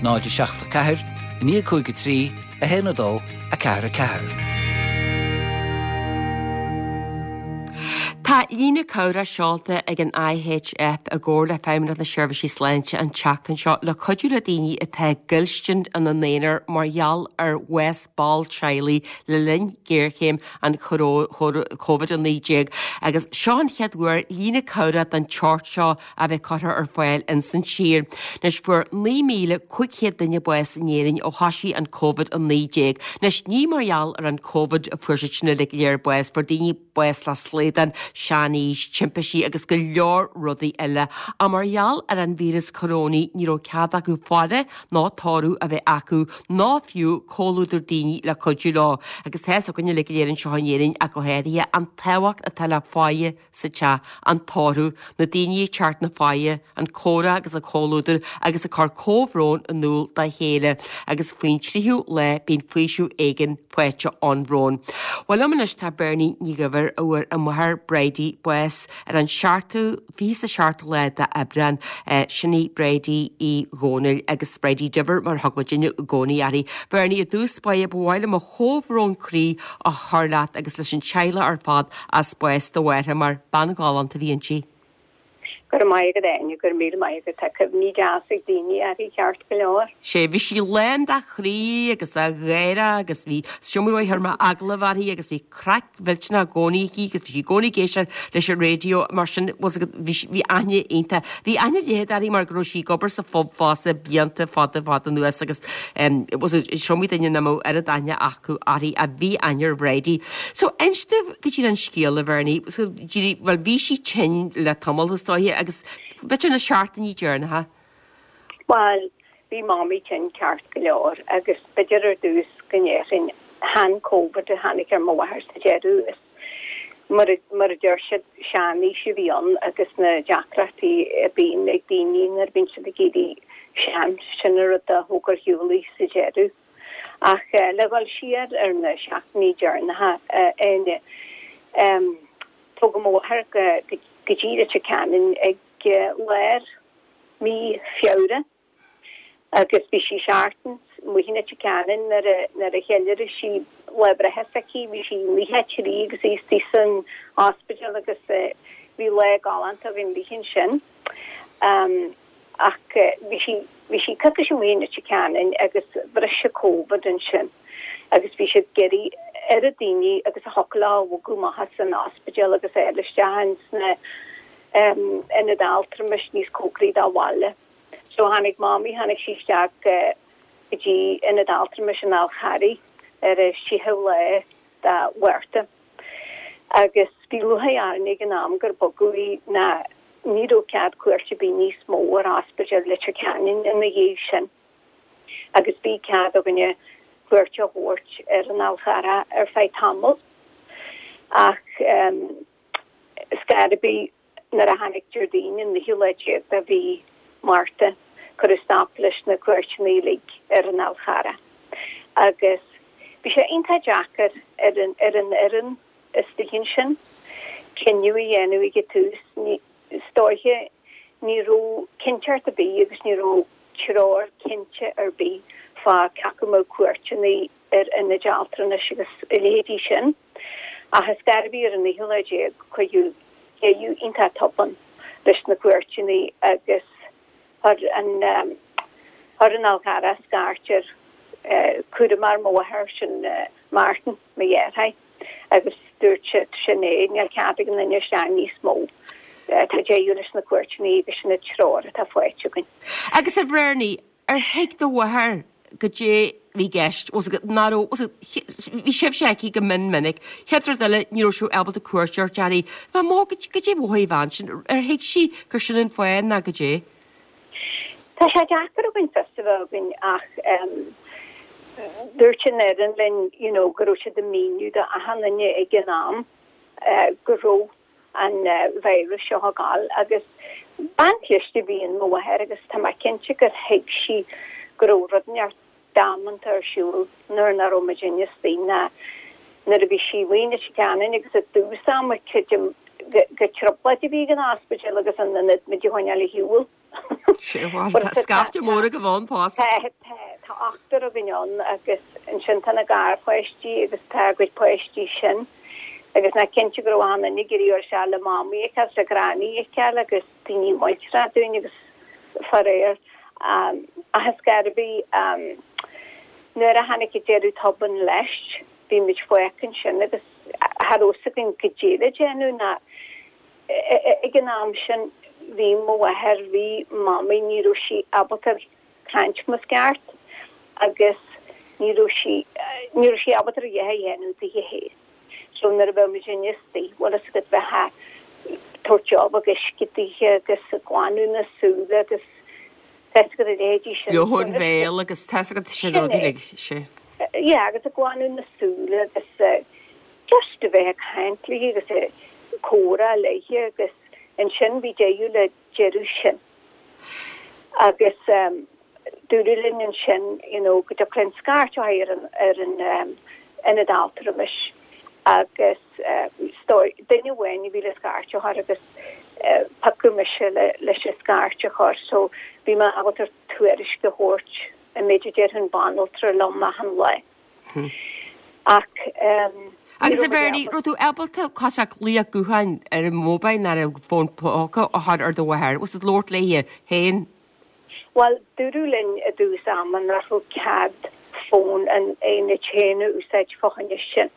náid a seacht a ceathair, a naoi cúig a trí, a haon a dó, a ceathair a ceathair. Tá líne cabhrach seolta ag an I H F i gcomhar le Feidhmeannacht na Seirbhísí Sláinte an tseachtain seo le cuidiú le daoine atá ag goilstin ina n-aonar mar gheall ar bhás ball teaghlaigh le linn géarchéim an Covid a naoi déag. Agus seo an chéad uair líne cabhrach den tseort seo a bheith curtha ar fáil ins an tír. Anois fuair naoi míle cúig chéad duine bás in Éirinn ó thosaigh an Covid a naoi déag. Anois ní mar gheall ar an Covid a fuair siad sin uilig go léir bás, fuair daoine bás le slaghdán, seanaois, timpistí agus go leor rudaí eile. Ach mar gheall ar an víreas corónaí ní raibh cead acu faire ná tórramh a bheith acu ná fiú comhluadar daoine le cuidiú leo. Agus tá 'fhios againn uilig go léir anseo in Éirinn ach go háirithe an tábhacht atá le faire sa teach, an tórramh, na daoine ag teacht na faire, an comhrá agus an comhluadar agus ag cur comhbhrón in iúl dá chéile. Agus faoin tríú lá bíonn faoiseamh éigin faighte ón bhrón. Well liom anois tá Bernie Ní Dhuibhir a bhfuair a máthair Bridie Bridie bás ar an seachtú fiche is a seacht lá d'Aibreán sin í Bridie Uí Dhónaill agus Bridie Diver mar thug muidinne i gcónaí uirthi. Bernie i dtús báire ba mhaith liom mo chomhbhrón croí a chur leat agus leis an teaghlach ar fad as bás do mháthar mar bean ghalánta a bhí inti. Go raibh maith agat Áine, go raibh míle maith agat tá cuimhní deasa ag daoine uirthi ceart go leor. Sé bhí sí lán de chroí agus de gháire agus bhí siomú ar mar agallamh uirthi agus bhí craic mhillteanach i gcónaí aici agus bhí sí i gcónaí ag éisteacht leis an raidió mar sin bhí aithne iontach. Bhí aithne léithi uirthi mar go raibh sí ag obair sa phub fosta blianta fada fada anuas agus is iomaí duine nach mbeadh oiread aithne acu uirthi a bhí aithne ar Bhridie. So inis domh go dtí an scéal a Bhernie, so well bhí sí tinn le tamall is dóiche agus b'fhéidir na seachtainí deireanacha. Well, bhí mamaí tinn ceart go leor agus b'fhéidir ar dtús go ndéarfainn chan COVID a tháinig ar mo mháthair sa deireadh is mar mar a deir siad seanaois a bhí ann agus na deacrachtaí a bhíonn ag daoine nuair a bhíonn siad ag éirí sean sin an rud a thóg ar shiúl í sa deireadh. Ach uh, le dhul siar ar na seachtainí deireanacha uh, um, tugadh mo mháthair go go go dtí Leitir Ceanainn ag lár mí Feabhra agus bhí sí seachtain amuigh in Leitir Ceanainn nuair a nuair a cheiliúraigh sí lá breithe s'aici bhí sí naocha trí agus í istigh san ospidéal agus bhí lá galánta againn léi ansin. Um, ach bhí sí bhí sí coicís amuigh in Leitir Ceanainn agus bhris COVID ansin agus bhí siad ag iarraidh ar daoine agus a thiocfadh leo a bhogadh amach as an ospidéal agus é isteach sna um, ionaid altramais níos cóngaraí dá bhaile. So tháinig mamaí tháinig sí isteach uh, go dtí ionad altramais an Fháil Charraigh ar an séú lá de Mhárta. Agus bhí lúcháir orainn ag an am gur bogadh í ná ní raibh cead cuairte ar bith níos mó ar ospidéal Leitir Ceanainn ina dhiaidh sin. Agus bhí cead againne cuairt a thabhairt ar an Fhál Carrach ar feadh tamaill. Ach um, scairbí nuair a tháinig Déardaoin an naoú lá déag de mhí Márta cuireadh stop leis na cuairteanna uilig ar an Fhál Carrach. Agus bhí sé iontach deacair ar an ar an fhoireann istigh ansin cinneadh a dhéanamh ag an tús is dóiche ní raibh cinnteacht ar bith agus ní raibh treoir cinnte ar bith fá cé acu mbeadh cuairteanna ar ionaid altranais agus a leithéidí sin. Ach is gairbí ar an naoú lá déag cuireadh deireadh iontach tobann leis na cuairteanna agus chuir an um, chuir an Fhál Carrach scairt ar uh, cúramóir mo mháthar sin uh, Martin mo dheartháir agus dúirt sé sin é níl cead ag aon duine isteach níos mó. Uh, tá deireadh leis na cuairteanna agus sin an treoir atá faighte againn. Agus a Bhernie ar thuig do mháthair goidé bhí i gceist ná bhí sibh aici go mion minic. Chéad rud eile ní raibh sibh ábalta cuairt a thabhairt uirthi, Má mó goidé mhothaigh an bhean sin ar thuig sí gur sin an fáth ná goidé. Tá sé deacair againn fios a bheith againn ach um, dúirt an fhoireann linn you know, go raibh siad ag míniú do achan duine ag an am uh, go raibh an uh, virus seo ag gabháil agus bean chliste a bhí i mo mháthair agus tá mé cinnte gur thuig sí go raibh rud inteacht damanta ar siúl nuair nach raibh muidinne istigh ná nuair a bhí sí amuigh in Leitir Ceanainn agus i dtús ama creidim go trioblóid a bhí an ospidéal agus an ionad muid a choinneáil ar shiúl. Sé scaifte mór go bhán pás. Tá ochtar againn ann agus ansin tá na garpháistí agus tá a gcuid páistí sin. agus ná cinnte go raibh an ag iarraidh se le mamaí a le granny a agus daoine muinteartha dúinn agus faraor um, agus garbí um, nuair a tháinig an deireadh tobann leis bhí muid fágtha ansin agus cha raibh a fhios againn goidé le déanamh ná ag an am sin bhí mo mháthair bhí mamaí ní raibh sí ábalta caint mar is ceart agus ní raibh sí ní raibh sí ábalta a dhath a dhéanamh di féin. So nuair a bheadh muid istigh bhfuil a fhios agat bheith tabhairt job agus scidige agus glanadh na súile agus go léidí sin. Johan bhéal agus tá sin rudaí sé. Ja, agus a glanadh na súile agus uh, just a bheith caint léi agus a comhrá léi agus ansin bhí deireadh le deireadh sin. Agus um, dúradh linn ansin you know, go dtiocfadh linn scairt ar an ar an um, ionad altramais Agus duine amháin a bhí le scairt a chur agus piocadh mise leis an scairt a chur so bhí mé ábalta tuairisc a thabhairt an méid a deir an banaltra liom achan lá. Ach Agus a Bhernie, raibh tú ábalta cosach glaoch gutháin ar an mobile nó ar an bhfón póca a chur ar do mháthair, was it labhairt léi féin? Bhuel, dúradh linn i dtús ama nach raibh cead fón an aonaid féin a úsáid fá choinne sin.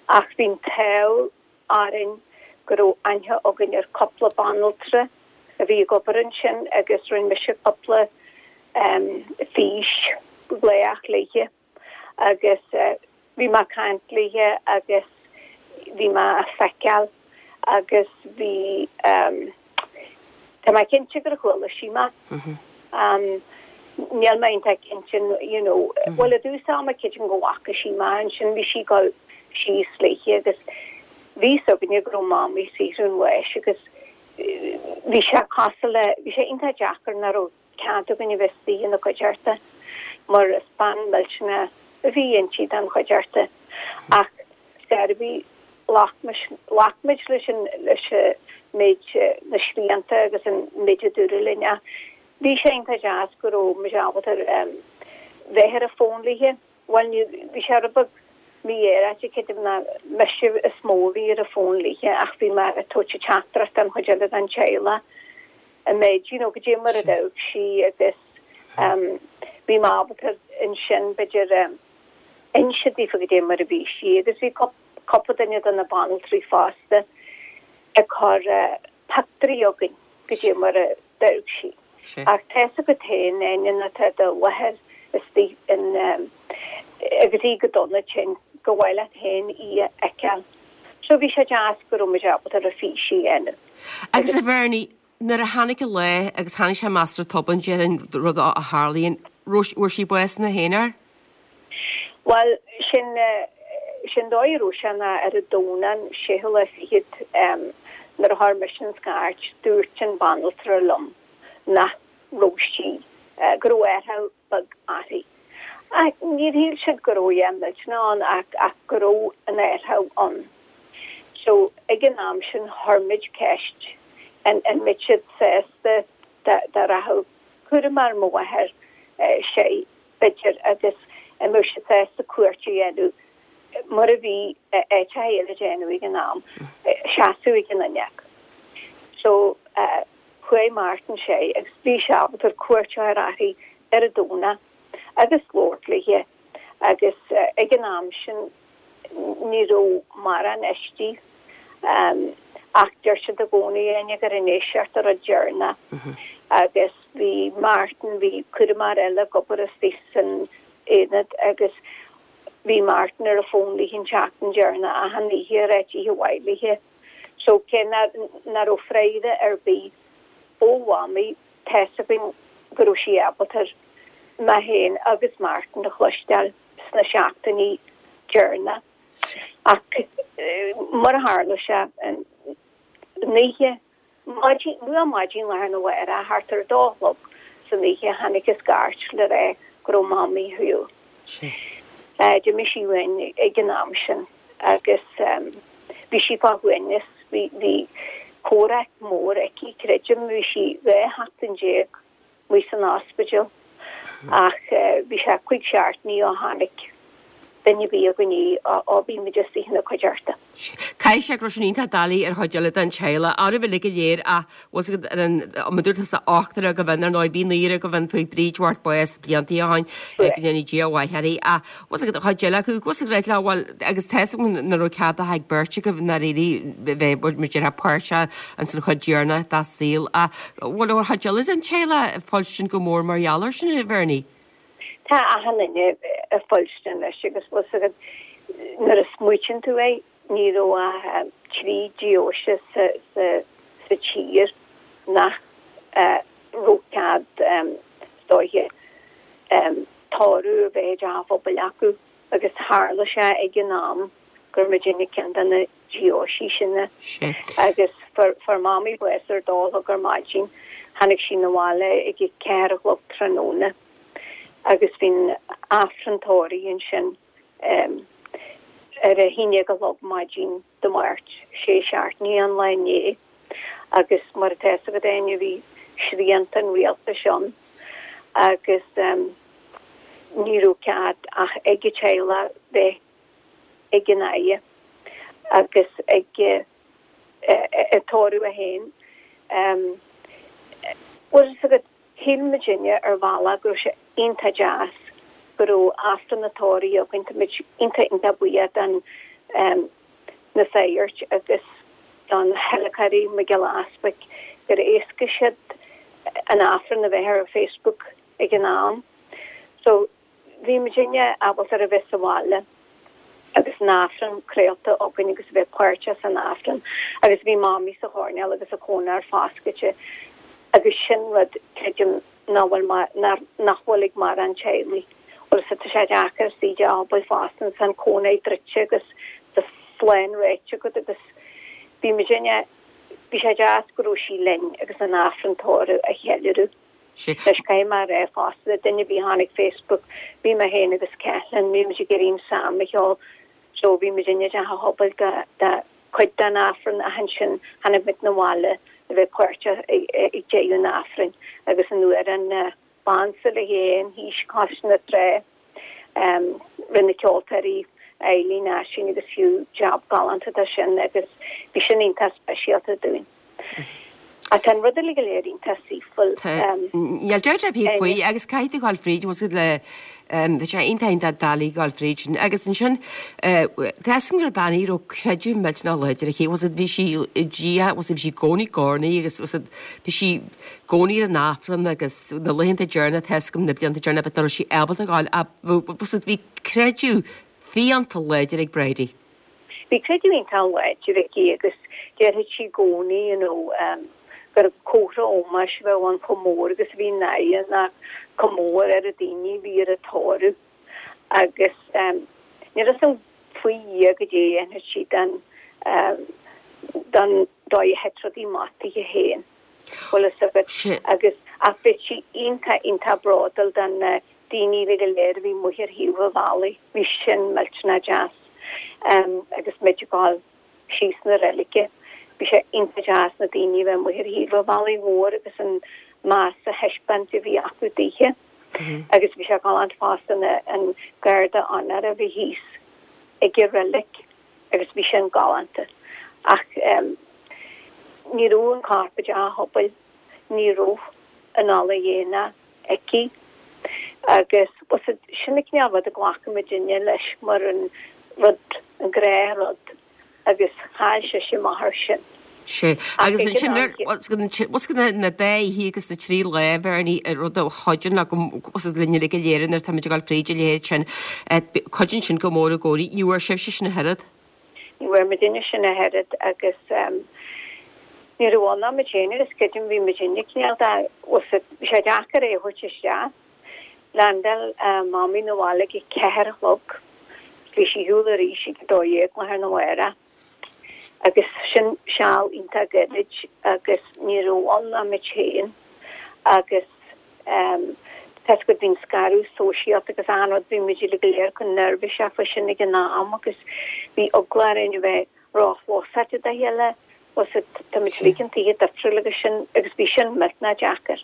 Ach bhí an t-ádh orainn go raibh aithne againn ar cúpla banaltra a bhí ag obair ansin agus rinne mise cúpla físghlaoch léithe agus bhí mé ag caint léithe agus bhí mé á feiceáil agus bhí tá mé cinnte gur chuala sí mé. Níl mé iontach cinnte you know bhuel i dtús ama creidim go bhfaca sí mé ansin bhí sí ag dul síos léithe agus bhí fhios againne go raibh Mamaí ag saothrú an bháis agus bhí sé cosúil le bhí sé iontach deacair nach raibh cead againn a bheith istigh ina cuideachta mar is bean millteanach a bhí inti den chuideachta ach scor ar bith ghlac ghlac muid leis an leis an méid na srianta agus an méid a dúradh linn ach bhí sé iontach deas go raibh muid ábalta bheith ar an bhfón léithe. Bhuel ní bhí sé rud beag mí-aeráite creidim ná mise is mó a bhí ar an bhfón léithe ach bhí mé ag tabhairt teachtaireacht don chuid eile den teaghlach an méid you know go dtí mar a d'amharc sí agus bhí mé ábalta ansin b'fhéidir inse daofa go dtí mar a bhí sí agus bhí cúpla duine de na banaltraí fosta ag cur pictiúirí chugainn go dtí mar a d'amharc sí. Ach tá fhios agat féin Áine nuair atá do mháthair istigh in agus í go dona tinn gur mhaith leat féin í a fheiceáil. So bhí sé deas go raibh muid ábalta ar fís a dhéanamh. Agus a Bhernie, nuair a tháinig an lá agus tháinig sé measartha tobann déarfainn rud a tharlaíonn, fuair sí bás ina haonar? Bhuel, sin sin dóigh a raibh sé ná ar an Domhnach an séú lá fichead nuair a chuir mise an scairt, dúirt an banaltra liom nach raibh sí, go raibh athrú beag uirthi. Ach níor shíl siad go raibh a dhath millteanach ann ach ach go raibh an athrú ann. So ag an am sin chuir muid ceist an an mbeadh siad sásta dá dá rachadh cúramóir ar mo mháthair sé b'fhéidir agus an mbeadh siad sásta cuairt a dhéanamh mar a bhí áiteacha eile ag déanamh ag an am, seasamh ag an fhuinneog. So chuaigh Martin sé agus bhí sé ábalta cuairt a chur uirthi ar an Domhnach agus labhairt léi agus ag an am sin ní raibh mórán istigh ach deir siad i gcónaí Áine gur an éisteacht an rud deireanach agus bhí Martin, bhí cúramóir eile ag obair istigh san aonad agus bhí Martin ar an bhfón léi an tseachtain deireanach achan oíche ag ráit oíche mhaith léi. So cé nach raibh freagra ar bith ó Mhamaí tá fhios againn go raibh sí ábalta mé féin agus Martin a chloisteáil sna seachtainí deireanacha. Ach mar a tharla sé an oíche, maidin, luath maidin lá arna mhárach, thart ar a dó a chlog san oíche, tháinig an scairt le rá go raibh Mamaí thú. D'imigh sí uainn ag an am sin agus bhí sí fá shuaimhneas, bhí, bhí comhrac mór aici, creidim, bhí sí dhá sheachtain déag amuigh san ospidéal ach bhí sé cúig seachtainí ó tháinig duine ar bith againn í ó bhí muid istigh ina cuideachta. Caithfidh sé go raibh sin iontach doiligh ar chuid eile den teaghlach, oraibh uilig go léir ach bhfuil fhios agat ar an mar dúirt tusa ochtar agaibh ann ar ndóigh bhí naoire agaibh ann fuair Bríd Bhart bás blianta ó shin go ndéana Dia a mhaith uirthi ach bhfuil fhios agat chuid eile acu bhfuil fhios agat le bhuel agus tá fhios agam nach raibh cead ach ag beirt agaibh ndáiríre bheith mar a déarfá páirteach ins an chuid dheireanach dá saol ach bhfuil ar chuid eile den teaghlach ag fuilstin go mór mar gheall air sin a Bhernie? Tá achan duine ag fuilstin leis agus bhfuil fhios agat nuair a smaoitíonn tú é ní raibh ach trí deoise sa sa sa tír nach raibh cead is dóiche tórramh a bheith i dteach an phobail acu agus tharla sé ag an am gur muidinne ceann de na deoisí sin agus fuair Mamaí bás ar a dó a chlog ar maidin tháinig sí 'na bhaile ag a ceathair a chlog tráthnóna. agus bhí an Aifreann tórraimh ansin ar a haon déag a chlog maidin Dé Máirt, sé seachtainí ón lá inné, agus mar atá fhios agat Áine bhí srianta an rialtais ann agus ní raibh cead ach ag an teaghlach bheith ag an fhaire agus ag an tórramh é féin. Bhfuil fhios agat, shíl muidinne ar bhealach go raibh sé iontach deas go raibh Aifreann an tórraimh againn, tá muid iontach iontach buíoch don na sagairt agus don thíolacóirí Mac Giolla Easpaig gur éascaigh siad an Aifreann a bheith ar Facebook ag an am. So bhí muidinne ábalta a bheith sa bhaile agus an Aifreann craolta againn agus a bheith páirteach san Aifreann agus bhí Mamaí sa choirnéal agus a cónair foscailte agus sin rud creidim nach bhfuil nach bhfuil ag mórán teaghlaigh. Bhuel tá sé deacair suí i dteach pobail fosta agus an cónair druidte agus do phlean réite agat agus bhí muidinne bhí sé deas go raibh sí linn agus an Aifreann tórraimh a cheiliúradh. Anois caithfidh mé a rá fosta le duine ar bith a chonaic Facebook bhí mé féin agus Caitlín bhí muid ag iarraidh an Salm a cheol so bhí muidinne i dteach an phobail do do chuid den Aifreann ach ansin tháinig muid 'na bhaile le bheith páirteach ag deireadh an Aifrinn agus an uair an Bansa le hÉan thíos cois na trá. Rinne na ceoltóirí Eileen, Aisling agus Hugh jab galánta de sin agus bhí sin iontach speisialta dúinn. Ach tá an rud uilig go léir iontach saoithiúil. Níl dabht ar bith faoi agus caithfidh tú gabháil fríd, bhfuil siad le bhí sé iontach iontach doiligh gabháil fríd sin agus ansin tá fhios agam gur bean í a raibh creideamh millteanach láidir aici, bhfuil siad bhí sí i Dia, bhfuil siad bhí sí i gcónaí ag urnaí agus bhfuil siad bhí sí i gcónaí ar an Aifreann agus na laethanta deireanacha tá fhios agam na blianta deireanacha but nach raibh sí ábalta gabháil ach bhfuil siad bhí creideamh fiánta láidir ag Bridie. Bhí creideamh iontach láidir aici agus déarfadh sí i gcónaí you know um, gur comhartha ómóis a bheadh ann chomh mór agus a bhí an fhaire ná chomh mór ar na daoine a bhí ar an tórramh agus um, níl a fhios agam faoi Dhia goidé a dhéanfadh sí don um, don dóigh a thit rudaí amach dithe féin. Bhfuil fhios agat agus ach bhí sí iontach iontach bródúil den na daoine uilig go léir a bhí amuigh ar thaobh an bhealaigh, bhí sin millteanach deas um, agus muid ag gabháil síos na reilige. Bhí sé iontach deas na daoine a bheith amuigh ar thaobh an bhealaigh mhóir agus an meas a thaispeáint a bhí acu dithe. Agus bhí sé galánta fosta na an garda onóra a bhí thíos ag an reilig agus bhí sin galánta. Ach um, ní raibh an corp i dteach an phobail, ní raibh an ola dhéine aici agus sin an cineál rud a ghlacann muidinne leis mar an rud an gnáthrud agus chaill sise a máthair sin. Sé agus ansin bhfuil na dá oíche agus na trí lá Bernie rud a chuidíonn go linne go léir nuair táimid ag dul fríd a leithéid sin cuidíonn sin go mór i gcónaí. Ní bhfuair sibhse sin ach oiread? Ní bhfuair muidinne sin ach oiread agus ní raibh ann ach muid féin agus creidim bhí muidinne cineál de bhí sé deacair é a thabhairt isteach. Landáil Mamaí 'na bhaile ag a ceathair a chlog. Bhí sí ar shiúl arís ag a dó dhéag lá arna mhárach. Agus sin seal iontach gairid agus ní raibh ann ach muid féin agus tá go bhíonn scaradh sóisialta agus achan rud bhí muid uilig go léir chomh neirbhíseach faoi sin ag an am agus bhí eagla orainn a bheith róchlosáilte dá chéile was tá muid uilig in tithe difriúla agus sin agus bhí sin millteanach deacair.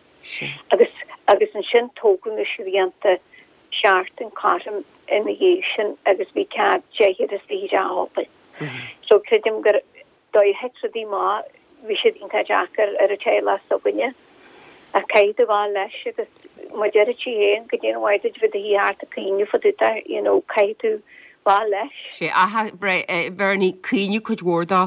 Agus agus ansin tógadh na srianta seachtain cothrom ina dhiaidh sin agus bhí cead deichniúr istigh i dteach an phobail. So creidim gur dóigh a thit rudaí amach bhí siad iontach deacair ar an teaghlach s'againne. Ach caithfidh tú gabháil leis agus mar a deir sí féin goidé an mhaith duit bheith i do shuí thart ag caoineadh fá dtaobh de you know caithfidh tú gabháil leis. Sé aha Bernie caoineadh cuid mhór dó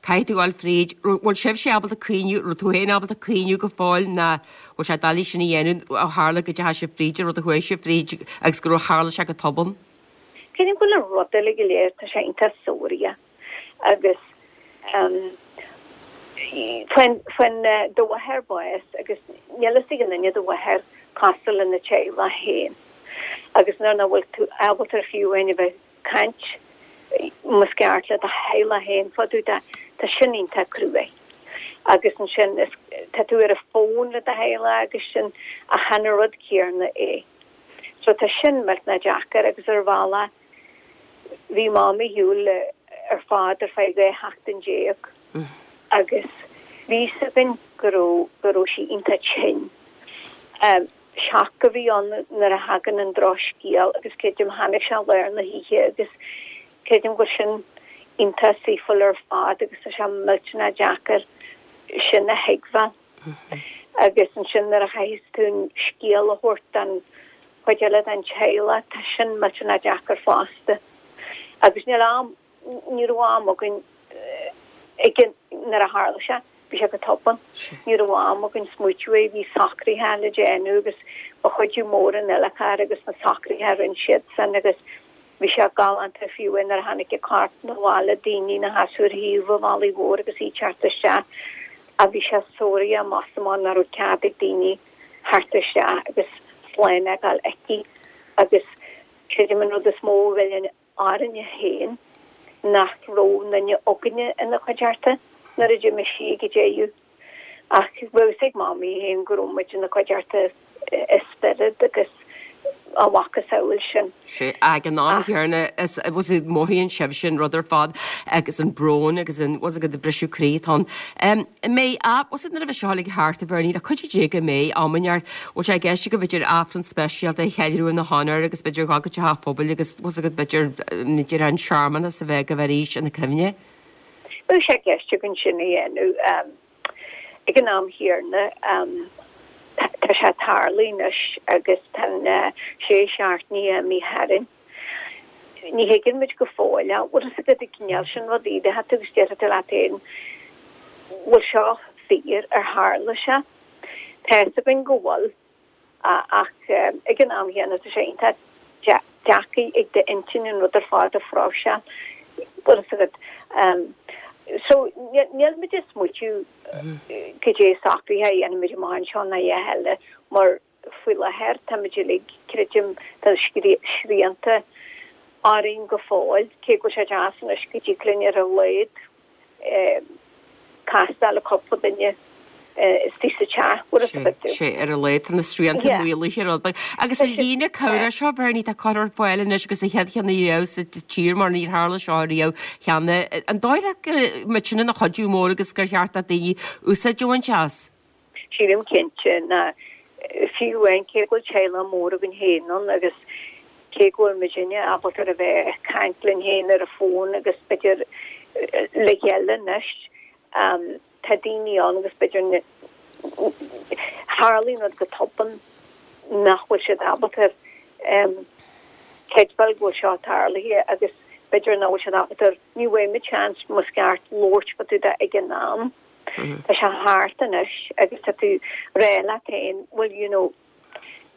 caithfidh tú gabháil fríd bhfuil sibhse ábalta caoineadh raibh tú féin ábalta caoineadh go fóill ná bhfuil sé doiligh sin a dhéanamh ó tharla go dteachaigh sibh fríd an rud a chuaigh sibh fríd agus go raibh tharla sé go tobann. Creidim go bhfuil an rud uilig go léir tá sé iontach suarach agus um, faoin faoin do mháthair bás agus níl fhios ag aon duine do mháthair cosúil lena teaghlach féin. Agus nuair nach bhfuil tú ábalta fiú amháin a bheith caint más ceart le do theaghlach féin fá dtaobh de tá sin iontach cruaidh. Agus ansin is tá tú ar an bhfón le do theaghlach agus sin ach chan an rud céanna é. So tá sin millteanach deacair agus ar bhealach Bhí Mamaí ar shiúl ar fad ar feadh dhá sheachtain déag agus bhí a fhios againn go raibh go raibh sí iontach tinn. Shock a bhí ann nuair a thagann an drochscéal agus creidim tháinig sé lár na hoíche agus creidim go bhfuil sin iontach saoithiúil ar fad agus tá sé millteanach deacair sin a thuigbheáil. Agus ansin nuair a chaithfidh tú an scéal a thabhairt don chuid eile den teaghlach, tá sin millteanach deacair fosta. Agus níl am, ní raibh am againn ag nuair a tharla sé, bhí sé go tobann. Ní raibh am againn smaoitiú air, bhí socruithe le déanamh agus ba chuidiú mór an uile agus na socruithe a rinne siadsan agus bhí sé galánta fiú nuair a tháinig a corp 'na bhaile, daoine ina sheasamh ar thaobh an bhealaigh mhóir agus í ag teacht isteach a bhí sé sóraithe amach is amach nach raibh cead ag daoine theacht isteach agus slán a fhágáil aici agus creidim an rud is mó a mhilleann orainne féin nach raibh aon duine againne ina cuideachta nuair a d'imigh sí ag an deireadh. Ach bhí a fhios ag Mamaí féin go raibh muid ina cuideachta i spiorad agus a mhacasamhail sin. Sea, ag an am chéanna is was it mothaíonn sibhse an rud ar fad agus an brón agus an was it the briseadh croí atá ann. Um, mé a was it nuair a bhí seo uilig thart a Bhernie le cuidiú Dé go mbeidh am inteacht bhfuil sé i gceist go b'fhéidir Aifreann speisialta a cheiliúradh ina honóir agus b'fhéidir dhul go teach an phobail agus was it b'fhéidir b'fhéidir an searmanas a bheith agaibh arís ina cuimhne? Bhí sé i gceist againn sin a dhéanamh um, ag an am chéanna um, tá sé tarlaithe anois agus tá na sé seachtainí imithe tharainn. Ní thuigeann muid go fóill é, bhfuil a fhios agat an cineál sin rudaí de tú agus deir tú leat féin bhfuil seo fíor ar tharla sé. Tá a fhios againn go bhfuil ach ag an am chéanna tá sé iontach deacair ag d'intinn an rud ar fad a phróiseáil. Bhfuil a fhios agat. So níl muid ag smaoitiú cad é socruithe a dhéanfaimid amach anseo ná a dhath eile mar faoi láthair táimid uilig creidim tá srianta orainn go fóill cé go bhfuil sé deas anois go dtig linn ar a laghad castáil le cúpla duine istigh sa teach bhfuil a fhios agat. Sea ar a laghad tá na srianta maolaithe rud beag. Agus an líne cabhrach seo Bernie tá curtha ar fáil anois agus an chéad cheann riamh sa tír mar níor tharla seo riamh cheana. An dóigh leat go mbeidh sin ina chuidiú mór agus gur cheart do daoine úsáid a bhaint as? Sílim cinnte ná fiú amháin cé go bhfuil teaghlach mór againn féin ann agus cé go bhfuil muidinne ábalta a bheith ag caint linn féin ar an bhfón agus b'fhéidir le chéile anois tá daoine ann agus b'fhéidir tharlaíonn rud go tobann nach bhfuil siad ábalta creidbheáil go bhfuil seo tarlaithe agus b'fhéidir nach bhfuil siad ábalta ní bhfuair muid seans más ceart labhairt fá dtaobh de ag an am. Tá sé thart anois agus tá tú ag rá leat féin well you know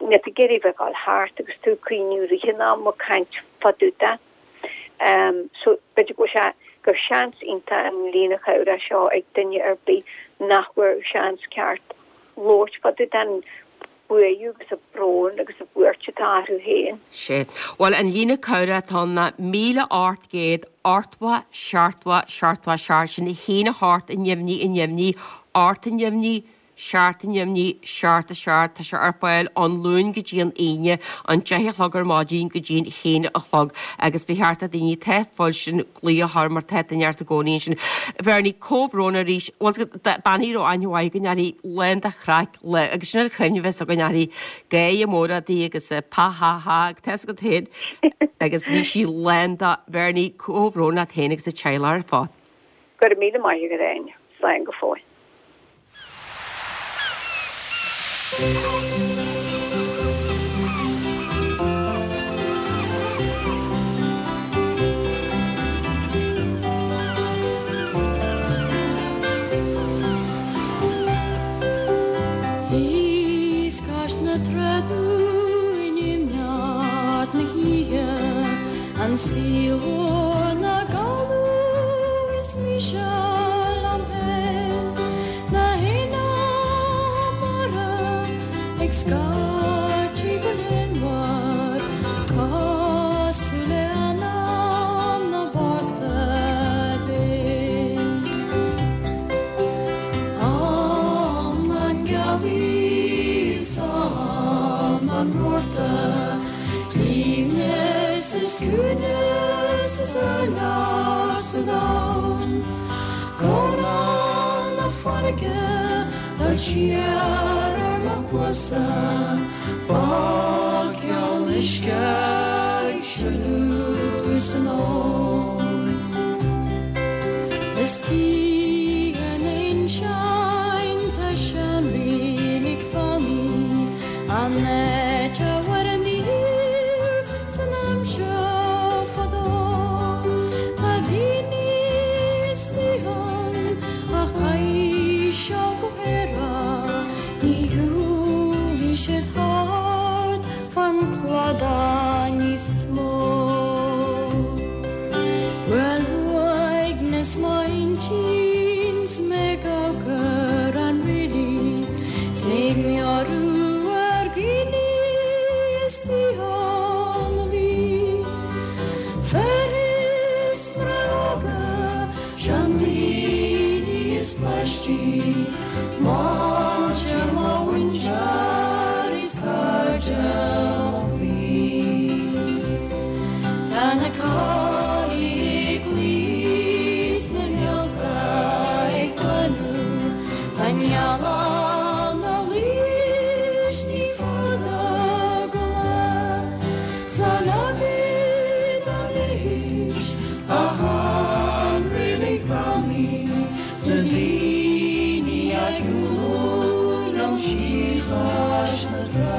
níl tú ag iarraidh bheith ag dul thart agus tú ag cuimhniú i rith an ama ag caint fá dtaobh de. So b'fhéidir go bhfuil sé gur seans iontach an líne chabhrach seo ag duine ar bith nach bhfuair seans ceart labhairt fá dtaobh den bhuaidh agus an brón agus an bhuairt atá orthu féin. Sea. Bhuel, an líne cabhrach atá ann ná míle ocht gcéad ochtó seachtó seachtó seacht, sin a haon a hocht a neamhní a neamhní ocht a neamhní seacht a neamhní seacht a seacht. Tá sé ar fáil ón Luan go dtí an Aoine, an deich a chlog ar maidin go dtí an haon a chlog agus ba cheart do daoine atá fós sin glaoch a chur mar tá duine ort i gcónaí ansin. Bhernie, comhbhrón arís. Bhuel, bean a raibh aithne mhaith againn uirthi, lán de chraic le agus sin an chuimhne a bheas againn uirthi, gáire mór uirthi agus pa ha ha agus tá a fhios agat féin agus bhí sí lán de Bhernie, comhbhrón leat féin agus an teaghlach ar fad. Go raibh míle maith agat Áine. Slán go fóill. An saol na gcaladh is mise liom féin na héana mara ag scairtigh go léanmhar cosúil le anam na bportach binn. Am na ngealaí 's am an rabharta aoibhneas is ciúnas thar lear sa domhan. Guairneán na farraige dul siar ar mo chluasa, Bá ceann uisce ag sileadh san fheoil. Istigh in insein tá seanreilig fanaí, an áit a bhfuair an fhíor san aimsir fadó. Tá daoine istigh ann a chaith seal go hEire, ní shiúlfaidh siad thart fán chladach níos mó. Bhuel uaigneas m'intinn 's mé ag amharc ar an reilig, 's mé ag meabhrú ar dhaoine istigh ann a bhí. Fir is mná óga, seandaoine is páistí, muintir mo mhuintir is cairde mo chroí. Tá na caillí ag luí 's na néalta ag glanadh, tá an ghealach 'na luí 's ní fada go lá, Slán agaibh anois, a sheanreilig bheannaithe, 's na daoine a shiúil liom síos cois na trá.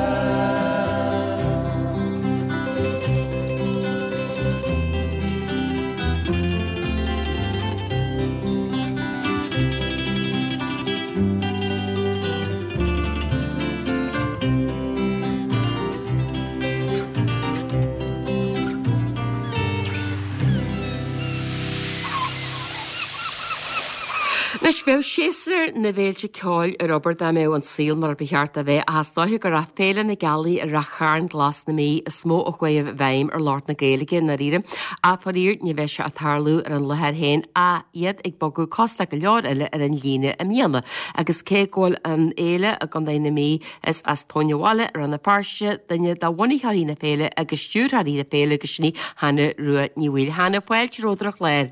Anois, bheadh séasúr na bhféilte ceoil ar obair dá mbeadh an saol mar ba cheart a bheith, ach is dóiche gur as Féile na Gealaí i Rath Chairn Glas na Mí is mó a chuaigh i bhfeidhm ar lucht na Gaeilge i ndáiríre. Ach faraor ní bheidh sé ag tarlú ar an láthair féin ach iad ag bogadh cosúil le go leor eile ar an líne i mbliana. Agus cé go bhfuil an fhéile i gContae na Mí is as Tóin an Bhaile i Rann na Feirste duine de bhunaitheoirí na féile agus stiúrthóirí na féile agus sin í Hannah Rua Ní Bhaoill. Hannah, fáilte romhat ar an chlár.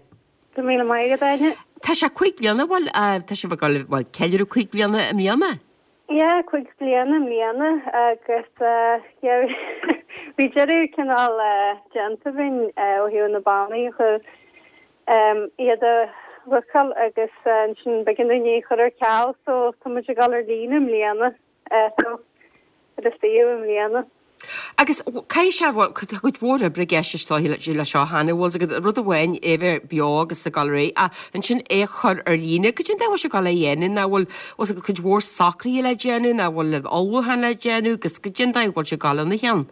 Go míle maith agat, Áine. Tá sé cúig bliana, bhuel, tá sibh ag dul, bhuel, ceiliúradh cúig bliana i mbliana. Yeah, cúig bliana i mbliana agus yeah, bhí deireadh cineál déanta againn ó thaobh na bannaí a chur iad a bhookáil agus ansin b'éigean dúinn é a chur ar ceal so tá muid ag dul ar líne i mbliana so ar an suíomh i mbliana. Agus caithfidh sé, bhuel, tá cuid mhór oibre i gceist is dóiche le seo Hannah, bhfuil 's agat rud amháin é bheith beo agus ag dul ar aghaidh ach ansin é a chur ar líne, goidé an dóigh a bhfuil sé ag dul a dhéanamh, ná bhfuil, bhfuil 's agat cuid mhór socruithe le déanamh, ná bhfuil ullmhúchán le déanamh agus goidé an dóigh a bhfuil sé ag dul ina cheann?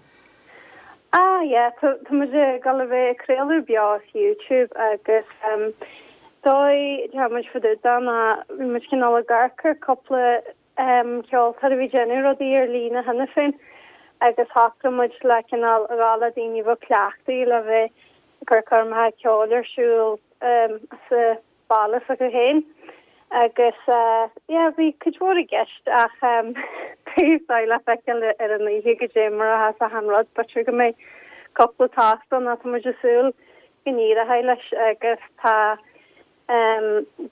Ah yeah, tá tá muid ag dul a bheith ag craoladh beo as YouTube agus um, dóigh tá muid faoi deara ná bhí muid cineál ag amharc ar cúpla um, ceoltóir a bhí ag déanamh rudaí ar líne cheana féin agus shocraigh muid le cineál a rá le daoine a bheadh cleachtaithe le bheith ag cur coirmeacha ceoil ar siúl um, sa baile s'acu féin. Agus uh, yeah, bhí cuid mhór i gceist ach um, beidh le feiceáil ar an oíche goidé mar a théas achan rud, b'fhéidir go mbeidh cúpla tost ann ach tá muid ag súil go n-éireoidh leis agus tá um,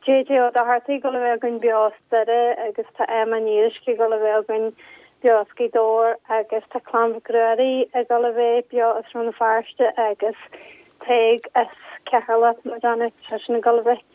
JJ Ó Dochartaigh ag dul a bheith againn beo as Doire agus tá Emma Ní Fhíoruisce ag dul a bheith againn beo as Gaoth Dobhair agus tá Clann Mhic Ruairí ag dul a bheith beo as Rann na Feirste agus Tadhg as Ceatharlach nó Déanamh seisean ag dul a bheith.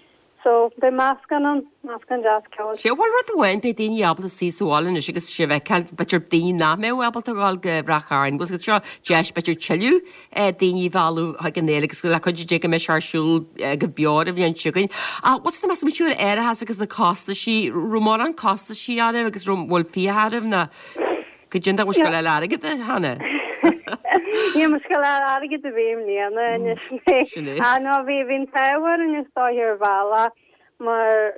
So beidh meascán ann, meascán deas ceoil. Sé bhuel rud amháin beidh daoine ábalta suí sa bhaile anois agus sibh a fheiceáil, b'fhéidir daoine nach mbeadh ábalta a dhul go Rath Chairn, bhfuil 's agat seo deis b'fhéidir tuilleadh daoine a mhealladh chuig an fhéile agus le cuidiú Dé go mbeidh sé ar siúl go beo ar an bhliain seo chugainn. Ach what's the meas muid ar árachas agus na costaisí, raibh mórán costaisí oraibh agus raibh bhfuil fiacha oraibh ná goidé an dóigh a bhfuil sibh ag dul a fháil airgead Hannah? Níl muid ag dul a fháil airgead ar bith i mbliana anois. Sin é. Ah no bhí bhí an t-ádh orainn is dóigh ar bhealach mar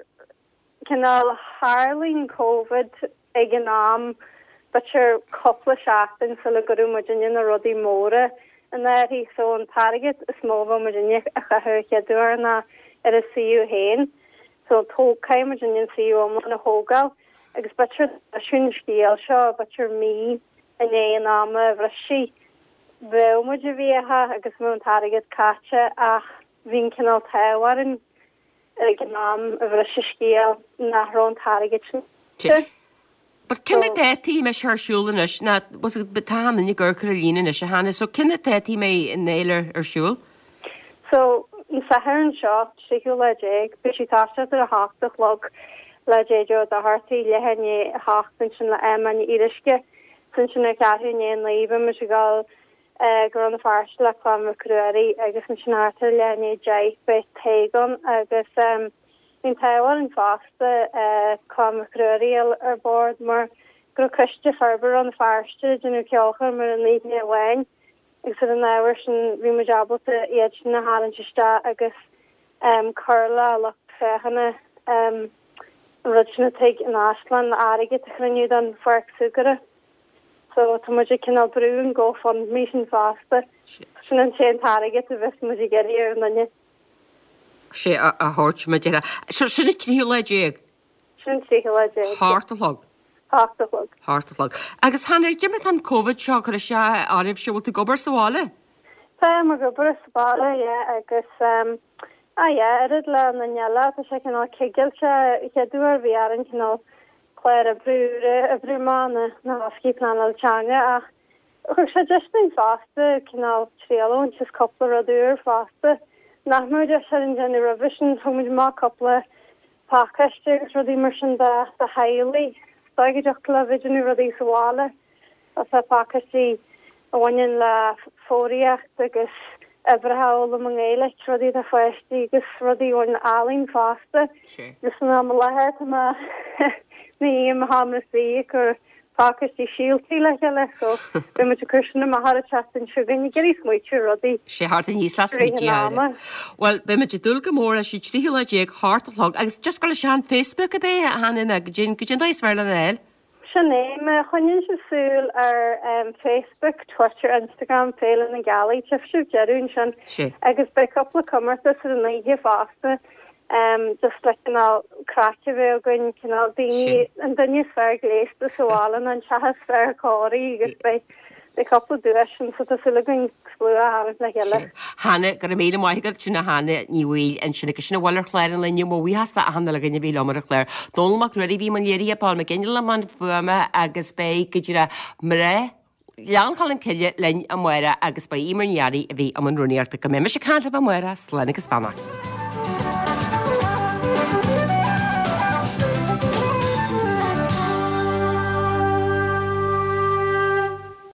cineál tharlaíonn Covid ag an am b'fhéidir cúpla seachtain sula gcuireadh muidinne na rudaí móra in áirithe so an t-airgead is mó a bheadh muidinne a chaitheamh an chéad uair ná ar an suíomh féin so tó caithfidh muidinne an suíomh iomlán a thógáil agus b'fhéidir leis an scéal seo b'fhéidir mí i ndiaidh an ama a bhris sí Bheadh muid i bhfiacha agus bheadh an t-airgead caite ach bhí an cineál t-ádh orainn ag an am a bhris an scéal nach raibh an t-airgead sin caite. But cé na dátaí a mbeidh sé ar siúl anois ná tá an duine ag cur ar líne anois a Hannah, so cé na dátaí a mbeidh an fhéile ar siúl? So an Satharn seo, tríú lá déag, beidh sí ag toiseacht ar a hocht a chlog le JJ Doherty, leath i ndiaidh a hocht ansin le Emma Ní Fhíoruisce, is ansin ar cheathrú i ndiaidh a naoi beidh muid ag dul go Rann na Feirste le Clann Mhic Ruairí agus ansin thart ar leath i ndiaidh a deich beidh Tadhg ann agus bhí an t-ádh orainn fosta Clann Mhic Ruairí a fháil ar bord mar go raibh Coiste Forbartha Rann na Feirste ag déanamh ceolchoirm ar an oíche amháin agus ar an ábhar sin bhí muid ábalta iad sin a tharraingt isteach agus cur le lucht féachana an rud sin i dTigh an Áislann le airgead a chruinniú don pháirc súgartha. So tá muid ag cineál brú an GoFundMe sin fosta. Sin an t-aon t-airgead a bheas muid ag iarraidh ar an duine. sé a thabhairt mar deir. So sin an tríú lá déag? Sin an tríú lá déag. Hocht a chlog? Hocht a chlog. Hocht a chlog. Agus Hannah, cad é mar tá an Covid seo ag cur isteach oraibhse, bhfuil tú ag obair sa bhaile? Táim ag obair sa bhaile, yeah, agus um, ah yeah, oiread le na eile, tá sé cineál cigilte, chéad uair bhí orainn cineál clár oibre úr a oibriú amach na na thoscaí pleanáil teanga ach thug sé deis dúinn fosta cineál triail a bhaint as cúpla rud úr fosta nach mbeadh deis orainn déanamh roimhe sin. Thug muid amach cúpla pacáiste agus rudaí mar sin do do theaghlaigh. Is dóigh go dtiocfadh leo bheith ag déanamh rudaí sa bhaile. Tá pacáistí a bhaineann le foghraíocht agus uimhreacha a fhoghlaim i nGaeilic, rudaí do pháistí agus rudaí a bhaineann le ealaín fosta. Agus san am i láthair tá mé i ndiaidh mo sheomra suí ag cur pacáistí síoltaí le chéile so beidh muid ag cur sin amach ar an tseachtain seo chugainn ag iarraidh smaoitiú ar rudaí Sé thart aníos le i rith smaoitiú an ama. Bhuel, beidh muid ag dúil go mór leis an tríú lá déag, hocht a chlog agus just go leis an Facebook ab é a Hannah nó goidé goidé an dóigh is fearr lena fháil. Sin é, má choinníonn sibh súil ar Facebook, Twitter, Instagram Féile na Gealaí, tchífidh sibh deireadh ansin. Sé. Agus beidh cúpla comórtas ar an oíche fosta, just le cineál craic a bheith againn, cineál daoine, an duine is fearr gléasta sa bhaile nó an teach is fearr cóirithe agus beidh Beidh cúpla duais ann so tá súil againn slua a tharraingt le chéile. Hannah, Go raibh míle maith agat, sin Hannah Ní Bhaoill ansin agus sin a bhfuil ar chlár an lae inniu, mo bhuíochas d'achan uile dhuine a bhí liom ar an chlár. Dónall Mac Ruairí a bhí i mbun léirithe, Paul McGinley i mbun fuaime agus beidh go díreach mná Ghleann Cholm Cille linn amárach agus ba í Eimear Ní Fhearraigh a bhí i mbun rúnaíochta. Go mbeidh mise ag caint libh amárach, slán agus beannacht.